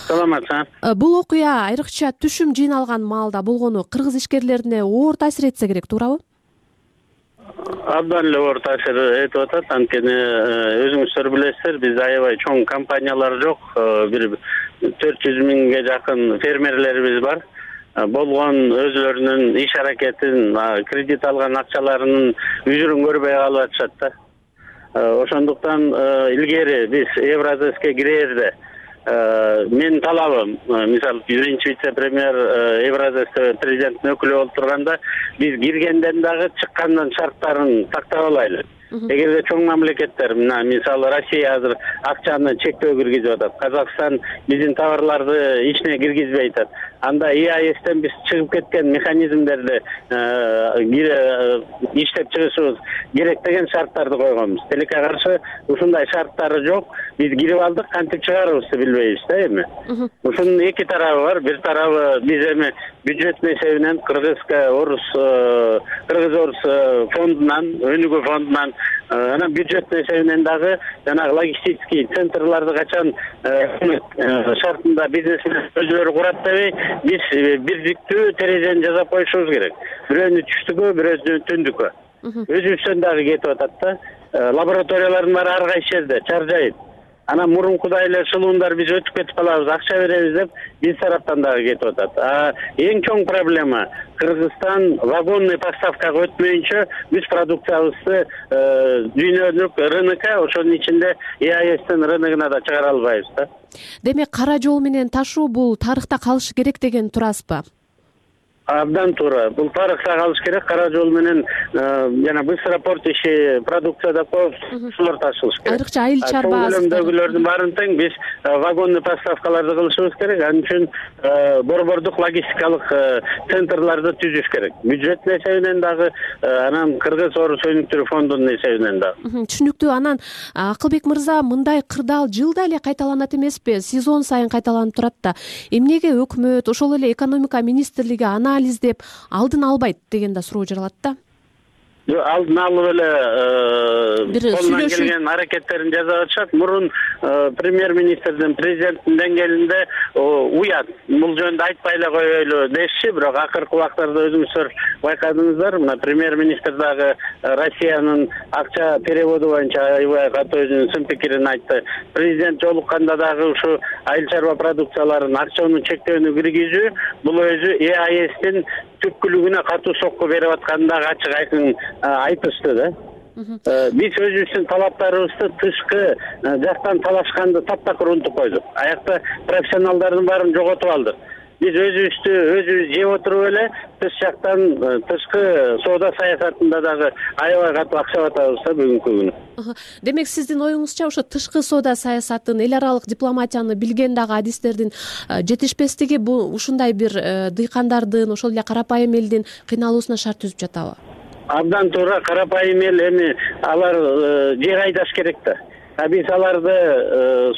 Speaker 22: Саламатсызбы.
Speaker 2: Бул окуя айрыкча түшүм жыйналган маалда болгону кыргыз ишкерлерине оор таасир этсе керек, туурабы?
Speaker 22: Абдан эле оор таасир этип атат. Анткени өзүңүздөр билесиздер, биз аябай чоң компаниялар жок. Бир төрт жүз миңге жакын фермерлерибиз бар. Болгон өзлөрүнүн иш аракетин, кредит алган акчаларынын үзүрүн көрбөй калып атышат да. Ошондуктан илгери биз Евразиска кирерде мен талабым, мисалы биринчи вице-премьер Евразия президенттин өкүлү болуп турганда биз киргенден дагы чыккандан шарттарын тактап алайлы. Эгерде чоң мамлекеттер, мына мисалы Россия азыр акчаны чектөө киргизип атат, Казакстан биздин товарларды ичине киргизбей атат. анда и а эстен биз чыгып кеткен механизмдерди иштеп чыгышыбыз керек деген шарттарды койгонбуз. Тилекке каршы ушундай шарттары жок. Биз кирип алдык, кантип чыгарыбызды билбейбиз да эми. Ушунун эки тарабы бар. Бир тарабы биз эми бюджеттин эсебинен кыргызга орус кыргыз орус фондунан, өнүгүү фондунан анан бюджеттин эсебинен дагы жанагы логистический центрларды качан шартында бизнесмен өзүлөрү курат дебей, биз бирдиктүү терезени жасап коюшубуз керек. Бирөөнү түштүккө, бирөөнү түндүккө. Өзүбүздөн дагы кетип атат да. Лабораториялардын баары ар кайсы жерде, чар жайыт. Анан мурункудай эле шылуундар биз өтүп кетип калабыз, акча беребиз деп биз тараптан дагы кетип атат. А эң чоң проблема Кыргызстан вагонный поставкага өтмөйүнчө биз продукциябызды дүйнөлүк рынокко, ошонун ичинде и а эстин рыногуна да чыгара албайбыз да.
Speaker 2: Демек, кара жол менен ташуу бул тарыхта калышы керек деген турасызбы?
Speaker 22: Абдан туура. Бул тарыхта калыш керек. Кара жол менен жана быстропорт иши, продукцияда көп ушулар ташылыш керек.
Speaker 2: Айрыкча айыл чарба
Speaker 22: азыктардын баарын тең биз вагонный поставкаларды кылышыбыз керек. Анын үчүн борбордук логистикалык центрларды түзүш керек. Бюджеттин эсебинен дагы, анан Кыргыз орус өнүктүрүү фондунун эсебинен дагы.
Speaker 2: Түшүнүктүү. Анан Акылбек мырза, мындай кырдаал жылда эле кайталанат эмеспи? Сезон сайын кайталанып турат да. Эмнеге өкмөт, ошол эле экономика министрлиги ана издеп алдын албайт деген да суроо жаралат да.
Speaker 22: Алдын алып эле колунан келген аракеттерин жасап атышат. Мурун премьер-министрдин, президенттин деңгээлинде уят. Бул жөнүндө айтпай эле коелу дешчи, бирок акыркы убактарда өзүңүздөр байкадыңыздар. Мына премьер-министр дагы Россиянын акча переводу боюнча аябай катуу өзүнүн сын пикирин айтты. Президент жолукканда дагы ушу айыл чарба продукцияларын акчанын чектөөнү киргизүү бул өзү и а эстин түпкүлүгүнө катуу сокку берип атканын дагы ачык айкын айтышты да. Биз өзүбүздүн талаптарыбызды тышкы жактан талашканды таптакыр унутуп койдук. Аякта профессионалдардын баарын жоготуп алдык. Биз өзүбүздү өзүбүз жеп отуруп эле тыш жактан тышкы соода саясатында дагы аябай катуу акча атабыз да бүгүнкү күнү.
Speaker 2: Демек, сиздин оюңузча ошо тышкы соода саясатын, эл аралык дипломатияны билген дагы адистердин жетишпестиги бул ушундай бир дыйкандардын, ошол эле карапайым элдин кыйналуусуна шарт түзүп жатабы?
Speaker 22: Абдан туура. Карапайым эл эми алар жер айдаш керек да. А биз аларды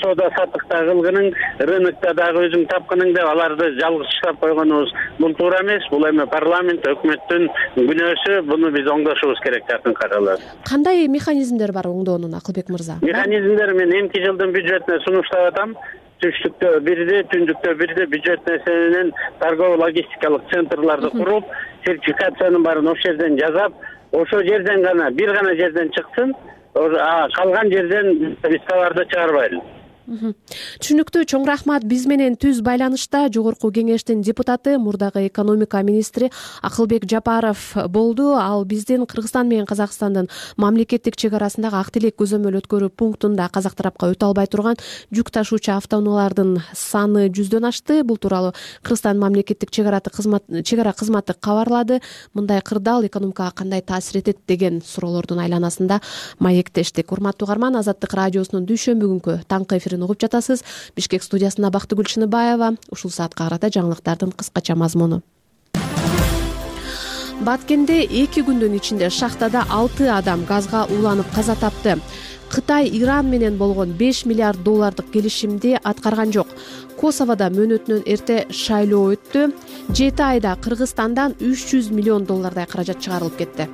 Speaker 22: соода саттыкта кылгының, рынокто дагы өзүң тапкының деп аларды жалгыз штаб койгонубуз бул туура эмес. Бул эми парламент, өкмөттүн күнөөсү. Буну биз оңдошубуз керек жакынкы араларда.
Speaker 2: Кандай механизмдер бар оңдоонун, Акылбек мырза?
Speaker 22: Механизмдер мен эмки жылдын бюджетине сунуштап атам. Түштүктө бирди, түндүктө бирди бюджеттин эсебинен торгово логистикалык центрларды куруп, сертификациянын баарын ошол жерден жасап, ошол жерден гана, бир гана жерден чыксын, калган жерден биз товарды чыгарбайлы.
Speaker 2: Түшүнүктүү. Чоң рахмат. Биз менен түз байланышта жогорку кеңештин депутаты, мурдагы экономика министри Акылбек Жапаров болду. Ал биздин Кыргызстан менен Казакстандын мамлекеттик чек арасындагы ак тилек көзөмөл өткөрүү пунктунда казак тарапка өтө албай турган жүк ташуучу автоунаалардын саны жүздөн ашты. Бул тууралуу Кыргызстан мамлекеттик чек ара кызматы кабарлады. Мындай кырдаал экономикага кандай таасир этет деген суроолордун айланасында маектештик. Урматтуу угарман, Азаттык радиосунун дүйшөмбү күнкү таңкы эфирин угуп жатасыз. Бишкек студиясында Бактыгүл Шыныбаева. Ушул саатка карата жаңылыктардын кыскача мазмуну. Баткенде эки күндүн ичинде шахтада алты адам газга ууланып каза тапты. Кытай Иран менен болгон беш миллиард доллардык келишимди аткарган жок. Косоводо мөөнөтүнөн эрте шайлоо өттү. жети айда Кыргызстандан үч жүз миллион доллардай каражат чыгарылып кетти.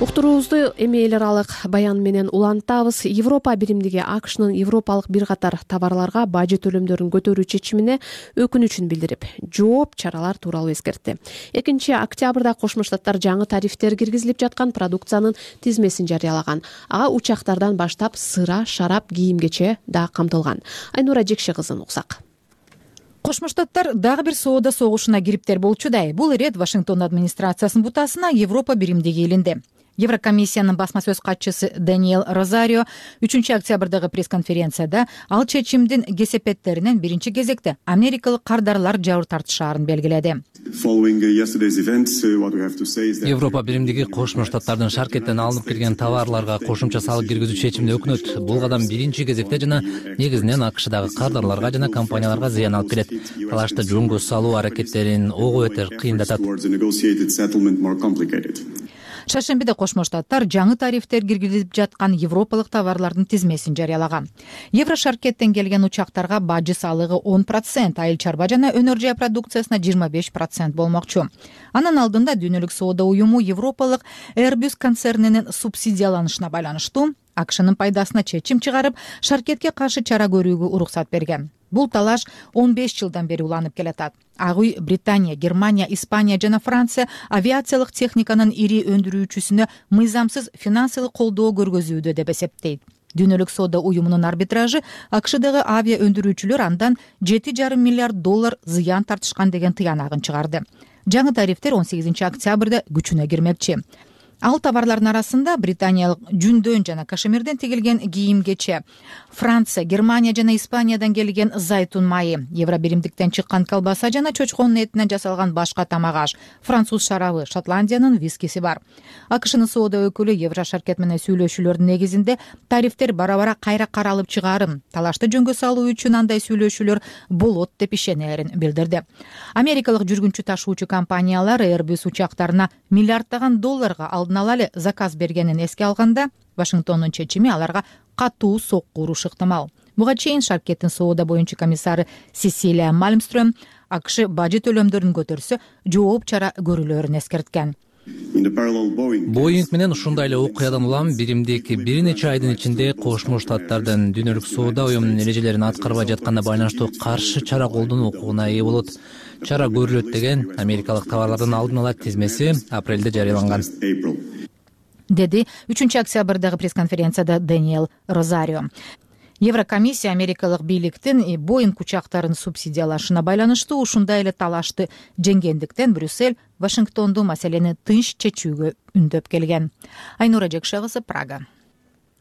Speaker 2: Уктуруубузду эми эл аралык баян менен улантабыз. Европа биримдиги АКШнын европалык бир катар товарларга бажы төлөмдөрүн көтөрүү чечимине өкүнүчүн билдирип, жооп чаралар тууралуу эскертти. экинчи октябрда Кошмо Штаттар жаңы тарифтер киргизилип жаткан продукциянын тизмесин жарыялаган. Ага учактардан баштап сыра, шарап, кийимгече да камтылган. Айнура Жекше кызын уксак.
Speaker 8: Кошмо Штаттар дагы бир соода согушуна кириптер болчудай. Бул ирет Вашингтон администрациясынын бутасына Европа биримдиги элинде. Еврокомиссиянын басма сөз катчысы Даниэль Розарио үчүнчү октябрдагы пресс-конференцияда ал чечимдин кесепеттеринен биринчи кезекте америкалык кардарлар жабыр тартышаарын белгиледи.
Speaker 1: Европа биримдиги Кошмо Штаттардын шаркеттен алынып келген товарларга кошумча салык киргизүү чечимине өкүнөт. Бул кадам биринчи кезекте жана негизинен АКШдагы кардарларга жана компанияларга зыян алып келет. Талашты жөнгө салуу аракеттерин ого бетер кыйындатат.
Speaker 8: Шаршембиде Кошмо Штаттар жаңы тарифтер киргизилип жаткан европалык товарлардын тизмесин жарыялаган. Евро шаркеттен келген учактарга бажы салыгы он процент, айыл чарба жана өнөр жай продукциясына жыйырма беш процент болмокчу. Анын алдында Дүйнөлүк соода уюму европалык Airbus концернинин субсидияланышына байланыштуу АКШнын пайдасына чечим чыгарып, шаркетке каршы чара көрүүгө уруксат берген. Бул талаш он беш жылдан бери уланып келатат. Ак үй Британия, Германия, Испания жана Франция авиациялык техниканын ири өндүрүүчүсүнө мыйзамсыз финансылык колдоо көргөзүүдө деп эсептейт. Дүйнөлүк соода уюмунун арбитражы АКШдагы авиа өндүрүүчүлөр андан жети жарым миллиард доллар зыян тартышкан деген тыянагын чыгарды. Жаңы тарифтер он сегизинчи октябрда күчүнө кирмекчи. Ал товарлардын арасында британиялык жүндөн жана кашемирден тигилген кийим-кече, Франция, Германия жана Испаниядан келген зайтун майы, евро биримдиктен чыккан колбаса жана чочконун этинен жасалган башка тамак аш, француз шарабы, Шотландиянын вискиси бар. АКШнын соода өкүлү евро шаркет менен сүйлөшүүлөрдүн негизинде тарифтер бара-бара кайра каралып чыгаарын, талашты жөнгө салуу үчүн андай сүйлөшүүлөр болот деп ишенерин билдирди. Америкалык жүргүнчү ташуучу компаниялар Airbus учактарына миллиарддаган долларга алдын ала эле заказ бергенин эске алганда, Вашингтондун чечими аларга катуу сокку урушу ыктымал. Буга чейин шаркеттин соода боюнча комиссары Сесилия Мальмстрöm АКШ бажы төлөмдөрүн көтөрсө, жооп чара көрүлөрүн эскерткен.
Speaker 1: Боинг менен ушундай эле окуядан улам биримдик бир нече айдын ичинде Кошмо Штаттардын Дүйнөлүк соода уюмунун эрежелерин аткарбай жатканына байланыштуу каршы чара колдонуу укугуна ээ болот. Чара көрүлөт деген америкалык товарлардын алдын ала тизмеси апрелде жарыяланган, деди үчүнчү октябрдагы пресс-конференцияда Даниэль Розарио. Еврокомиссия америкалык бийликтин Боинг учактарын субсидиялашына байланыштуу ушундай эле талашты жеңгендиктен Брюссель Вашингтонду маселени тынч чечүүгө үндөп келген. Айнура Жекше кызы, Прага.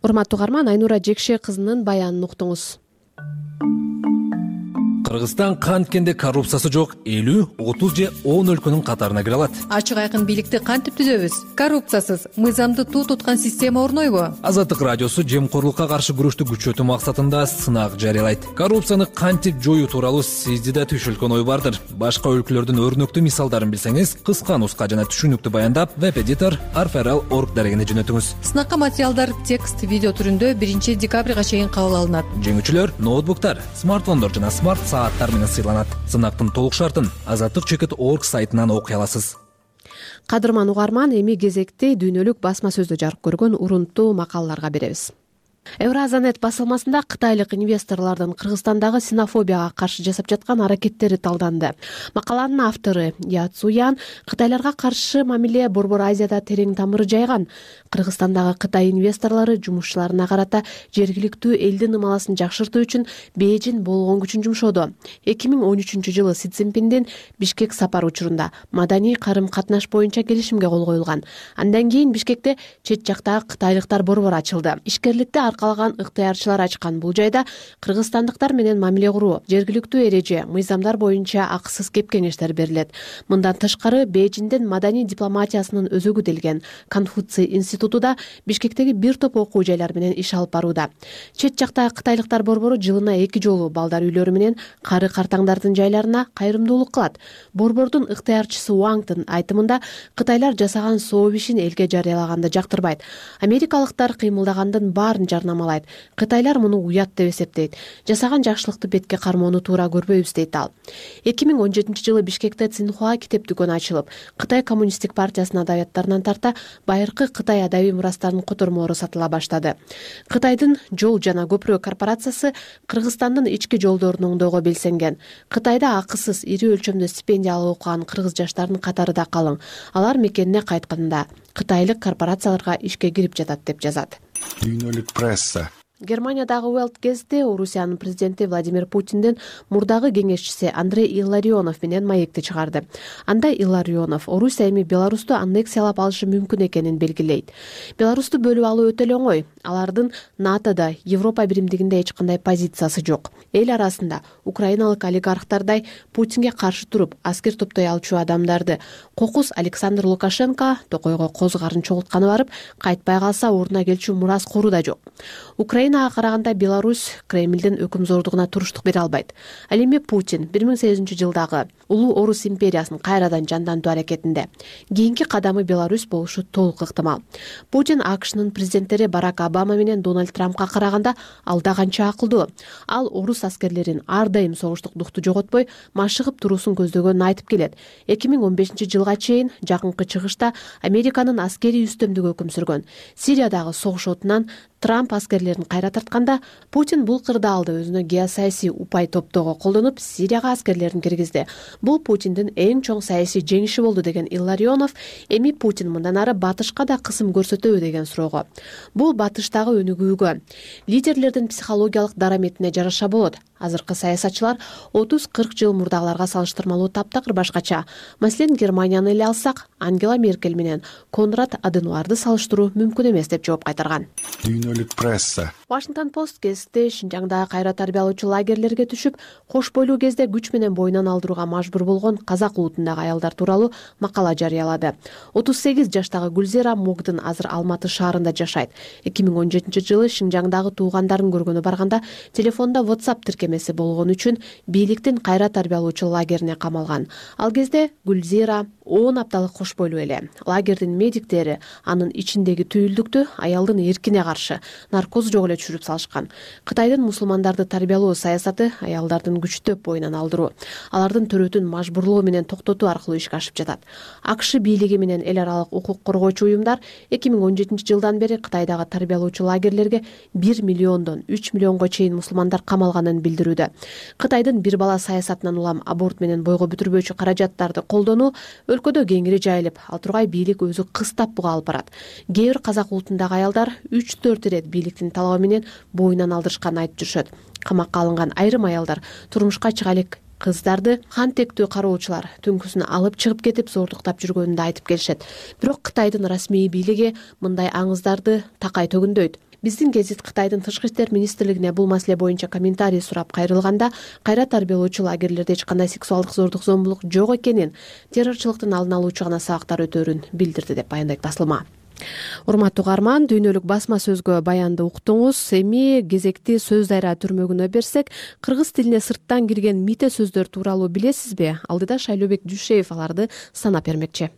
Speaker 2: Урматтуу угарман, Айнура Жекше кызынын баянын уктуңуз.
Speaker 1: Кыргызстан канткенде коррупциясы жок элүү, отуз же он өлкөнүн катарына кире алат.
Speaker 7: Ачык айкын бийликти кантип түзөбүз? Коррупциясыз, мыйзамды туу туткан система орнойбу?
Speaker 1: Азаттык радиосу жемкорлукка каршы күрөштү күчөтүү максатында сынак жарыялайт. Коррупцияны кантип жоюу тууралуу сизде да түшүлгөн ой бардыр. Башка өлкөлөрдүн өрнөктүү мисалдарын билсеңиз, кыска нуска жана түшүнүктүү баяндап, веб-эдитор арферал точка орг дарегине жөнөтүңүз.
Speaker 7: Сынакка материалдар текст, видео түрүндө биринчи декабрга чейин кабыл алынат.
Speaker 1: Жеңүүчүлөр ноутбуктар, смартфондор жана смарт сааттар менен сыйланат. Сынактын толук шартын азаттык чекит точка орг сайтынан окуй аласыз.
Speaker 2: Кадырман угарман, эми кезекти дүйнөлүк басма сөздө жарык көргөн урунттуу макалаларга беребиз. Евразанет басылмасында кытайлык инвесторлордун Кыргызстандагы синофобияга каршы жасап жаткан аракеттери талданды. Макаланын автору Яцуян кытайларга каршы мамиле Борбор Азияда терең тамыры жайган. Кыргызстандагы Кытай инвесторлору жумушчуларына карата жергиликтүү элдин ымаласын жакшыртуу үчүн Бейжин болгон күчүн жумшоду. эки миң он үчүнчү жылы Си Цзиньпиндин Бишкек сапары учурунда маданий карым-катнаш боюнча келишимге кол коюлган. Андан кийин Бишкекте чет жактагы кытайлыктар борбору ачылды. Ишкерликти аркалаган ыктыярчылар ачкан бул жайда кыргызстандыктар менен мамиле куруу, жергиликтүү эреже, мыйзамдар боюнча акысыз кеп кеңештер берилет. Мындан тышкары Бейжиндин маданий дипломатиясынын өзөгү делген Конфуций институту да Бишкектеги бир топ окуу жайлар менен иш алып барууда. Чет жактагы кытайлыктар борбору жылына эки жолу балдар үйлөрү менен кары картаңдардын жайларына кайрымдуулук кылат. Борбордун ыктыярчысы Уаңдын айтымында кытайлар жасаган сооп ишин элге жарыялаганды жактырбайт. Америкалыктар кыймылдагандын баарын жарнамалайт. Кытайлар муну уят деп эсептейт. Жасаган жакшылыкты бетке кармоону туура көрбөйбүз дейт ал. эки миң он жетинчи жылы Бишкекте Цинхуа китеп дүкөнү ачылып, Кытай коммунисттик партиясынын адабияттарынан тарта байыркы Кытай адабий мурастарынын котормолору сатыла баштады. Кытайдын Жол жана көпүрө корпорациясы Кыргызстандын ички жолдорун оңдоого белсенген. Кытайда акысыз ири өлчөмдө стипендия алып окуган кыргыз жаштарынын катары да калың. Алар мекенине кайтканда кытайлык корпорацияларга ишке кирип жатат деп жазат.
Speaker 9: Дүйнөлүк пресса.
Speaker 2: Германиядагы Welt кезде Орусиянын президенти Владимир Путиндин мурдагы кеңешчиси Андрей Илларионов менен маекти чыгарды. Анда Илларионов Орусия эми Беларусту аннексиялап алышы мүмкүн экенин белгилейт. Беларусту бөлүп алуу өтө эле оңой. Алардын НАТОда, Европа биримдигинде эч кандай позициясы жок. Эл арасында украиналык олигархтардай Путинге каршы туруп аскер топтой алчу адамдарды кокус Александр Лукашенко токойго коз карын чогултканы барып, кайтпай калса ордуна келчү мураскору да жок. Украинага караганда Беларусь Кремлдин өкүмзордугуна туруштук бере албайт. Ал эми Путин бир миң сегизинчи жылдагы улуу Орус империясын кайрадан жандантуу аракетинде. Кийинки кадамы Беларусь болушу толук ыктымал. Путин АКШнын президенттери Барак Обама менен Дональд Трампка караганда алда канча акылдуу. Ал орус аскерлерин ар дайым согуштук духту жоготпой машыгып туруусун көздөгөнүн айтып келет. эки миң он бешинчи жылга чейин жакынкы чыгышта Американын аскерий үстөмдүгү өкүм сүргөн. Сириядагы согуш отунан Трамп аскерлерин кайра тартканда Путин бул кырдаалды өзүнө геосаясий упай топтоого колдонуп Сирияга аскерлерин киргизди. Бул Путиндин эң чоң саясий жеңиши болду деген Илларионов эми Путин мындан ары батышка да кысым көрсөтөбү деген суроого. Бул батыштагы өнүгүүгө, лидерлердин психологиялык дараметине жараша болот. Азыркы саясатчылар отуз кырк жыл мурдагыларга салыштырмалуу таптакыр башкача. Маселен, Германияны эле алсак, Ангела Меркель менен Конрад Аденуарды салыштыруу мүмкүн эмес деп жооп кайтарган.
Speaker 9: Дүйнөлүк пресса.
Speaker 2: Washington Post кезде Шинжаңдагы кайра тарбиялоочу лагерлерге түшүп, кош бойлуу кезде күч менен боюнан алдырууга мажбур болгон казак улутундагы аялдар тууралуу макала жарыялады. отуз сегиз жаштагы Гүлзира Могдун азыр Алматы шаарында жашайт. эки миң он жетинчи жылы Шинжаңдагы туугандарын көргөнү барганда телефондо WhatsApp тиркемеси болгон үчүн бийликтин кайра тарбиялоочу лагерине камалган. Ал кезде Гүлзира он апталык кош бойлуу эле. Лагердин медиктери анын ичиндеги түйүлдүктү аялдын эркине каршы наркоз жок эле түшүрүп салышкан. Кытайдын мусулмандарды тарбиялоо саясаты аялдардын күчтөп боюнан алдыруу, алардын төрөтүн мажбурлоо менен токтотуу аркылуу ишке ашып жатат. АКШ бийлиги менен эл аралык укук коргоочу уюмдар эки миң он жетинчи жылдан бери Кытайдагы тарбиялоочу лагерлерге бир миллиондон үч миллионго чейин мусулмандар камалганын билдирүүдө. Кытайдын бир бала саясатынан улам аборт менен бойго бүтүрбөөчү каражаттарды колдонуу өлкөдө кеңири жайылып, ал тургай бийлик өзү кыстап буга алып барат. Кээ бир казак улутундагы аялдар үч төрт ирет бийликтин талабы менен боюнан алдырышканын айтып жүрүшөт. Камакка алынган айрым аялдар турмушка чыга элек кыздарды хан тектүү кароочулар түнкүсүн алып чыгып кетип зордуктап жүргөнүн да айтып келишет. Бирок Кытайдын расмий бийлиги мындай аңыздарды такай төгүндөйт. Биздин гезит Кытайдын тышкы иштер министрлигине бул маселе боюнча комментарий сурап кайрылганда кайра тарбиялоочу лагерлерде эч кандай сексуалдык зордук зомбулук жок экенин, террорчулуктун алдын алуучу гана сабактар өтөөрүн билдирди деп баяндайт басылма. Урматтуу угарман, дүйнөлүк басма сөзгө баянды уктуңуз. Эми кезекти сөз дайра түрмөгүнө берсек, кыргыз тилине сырттан кирген мите сөздөр тууралуу билесизби? Алдыда Шайлообек Дүйшеев аларды санап бермекчи.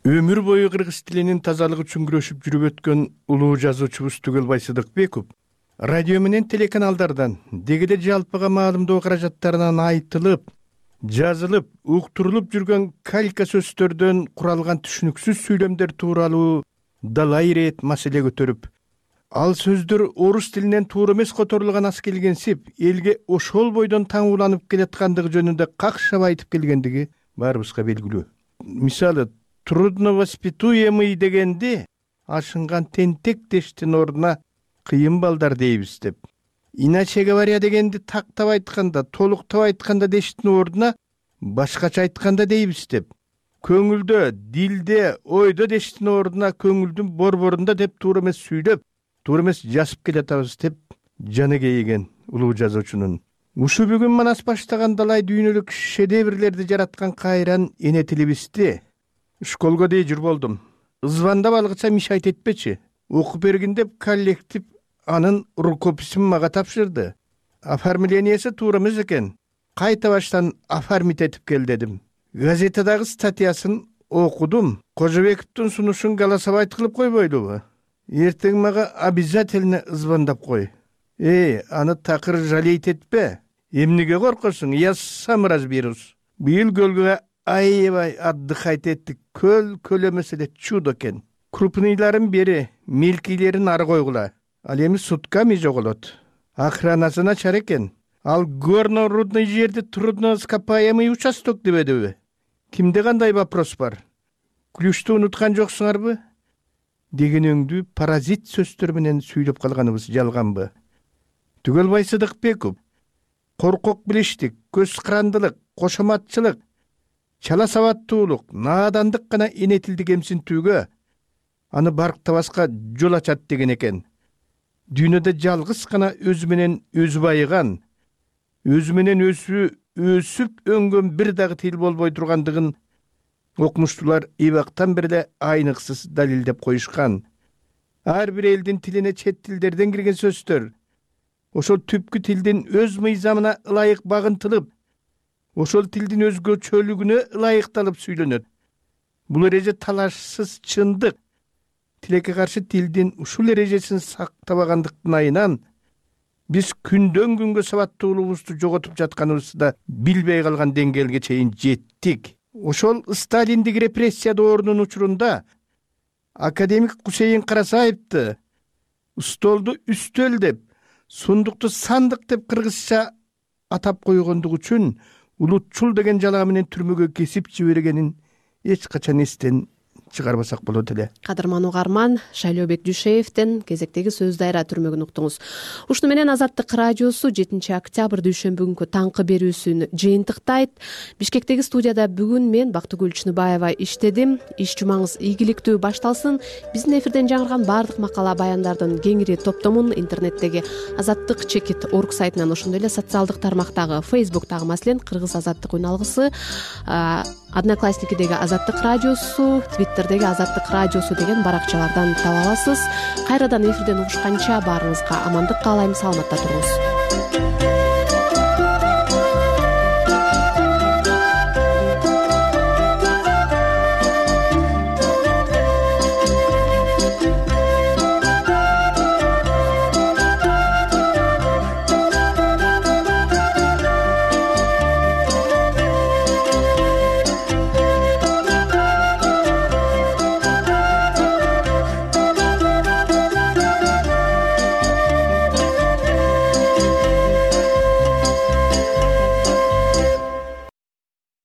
Speaker 10: Өмүр бою кыргыз тилинин тазалыгы үчүн күрөшүп жүрүп өткөн улуу жазуучубуз Түгөлбай Сыдыкбеков радио менен телеканалдардан дегиде жалпыга маалымдоо каражаттарынан айтылып, жазылып, уктурулуп жүргөн калька сөздөрдөн куралган түшүнүксүз сүйлөмдөр тууралуу далай ирет маселе көтөрүп, ал сөздөр орус тилинен туура эмес которулган ас келгенсип, элге ошол бойдон таңууланып келаткандыгы жөнүндө какшап айтып келгендиги баарыбызга белгилүү. Мисалы, трудновоспитуемый дегенде ашынган тентек дештин ордуна кыйын балдар дейбиз деп. Иначе говоря дегенди тактап айтканда, толуктап айтканда дештин ордуна башкача айтканда дейбиз деп. Көңүлдө, дилде, ойдо дештин ордуна көңүлдүн борборунда деп туура эмес сүйлөп, туура эмес жазып келатабыз деп жаны кейиген улуу жазуучунун. Ушу бүгүн манас баштаган далай дүйнөлүк шедеврлерди жараткан кайран эне тилибизди школго дей жүр болдум. Звандап алгыча мишайт этпечи. Окуп бергин деп коллектив анын рукописин мага тапшырды. Оформлениясы туура эмес экен. Кайта баштан оформить этип кел дедим. Газетадагы статьясын окудум. Кожобековдун сунушун голосовать кылып койбойлубу? Эртең мага обязательно звондап кой. Эй, аны такыр жалейт этпе. Эмнеге коркосуң? Я сам разберусь. Быйыл көлгө аябай отдыхать эттик. Көл көл эмес эле чудо экен. Крупныйларын бери, мелкилерин ары койгула. Ал эми сутками жоголот. Охранасы начар экен. Ал горно-рудный жерде трудноископаемый участок дебедиби? Кимде кандай вопрос бар? Ключту унуткан жоксуңарбы? деген өңдүү паразит сөздөр менен сүйлөп калганыбыз жалганбы? Түгөлбай Сыдыкбеков коркок билиштик, көз кырандылык, кошоматчылык, чала сабаттуулук, наадандык гана энетилди кемсинтүүгө, аны барктабаска жол ачат деген экен. Дүйнөдө жалгыз гана өзү менен өзү байыган, өзү менен өзү өсүп өңгөн бир дагы тил болбой тургандыгын окумуштуулар эбактан бери эле айныксыз далилдеп коюшкан. Ар бир элдин тилине чет тилдерден кирген сөздөр ошол түпкү тилдин өз мыйзамына ылайык багынтылып, ошол тилдин өзгөчөлүгүнө ылайыкталып сүйлөнөт. Бул эреже талашсыз чындык. Тилекке каршы тилдин ушул эрежесин сактабагандыктын айынан биз күндөн күнгө сабаттуулугубузду жоготуп жатканыбызды да билбей калган деңгээлге чейин жеттик. Ошол сталиндик репрессия доорунун учурунда академик Кусейин Карасаевди столду үстөл деп, сундукту сандык деп кыргызча атап койгондугу үчүн улутчул деген жалаа менен түрмөгө кесип жибергенин эч качан эстен чыгарбасак болот эле.
Speaker 2: Кадырман угарман, Шайлообек Дүйшеевден кезектеги сөз дайра түрмөгүн уктуңуз. Ушуну менен Азаттык радиосу жетинчи октябрь дүйшөмбү күнкү таңкы берүүсүн жыйынтыктайт. Бишкектеги студияда бүгүн мен Бактыгүл Чыныбаева иштедим. Иш жумаңыз ийгиликтүү башталсын. Биздин эфирден жаңырган баардык макала баяндардын кеңири топтомун интернеттеги азаттык чекит орг сайтынан, ошондой эле социалдык тармактагы Facebooktагы маселен Кыргыз азаттык үн алгысы, Одноклассникидеги Азаттык радиосу, Твиттердеги Азаттык радиосу деген баракчалардан таба аласыз. Кайрадан эфирден угушканча баарыңызга амандык каалайм, саламатта туруңуз.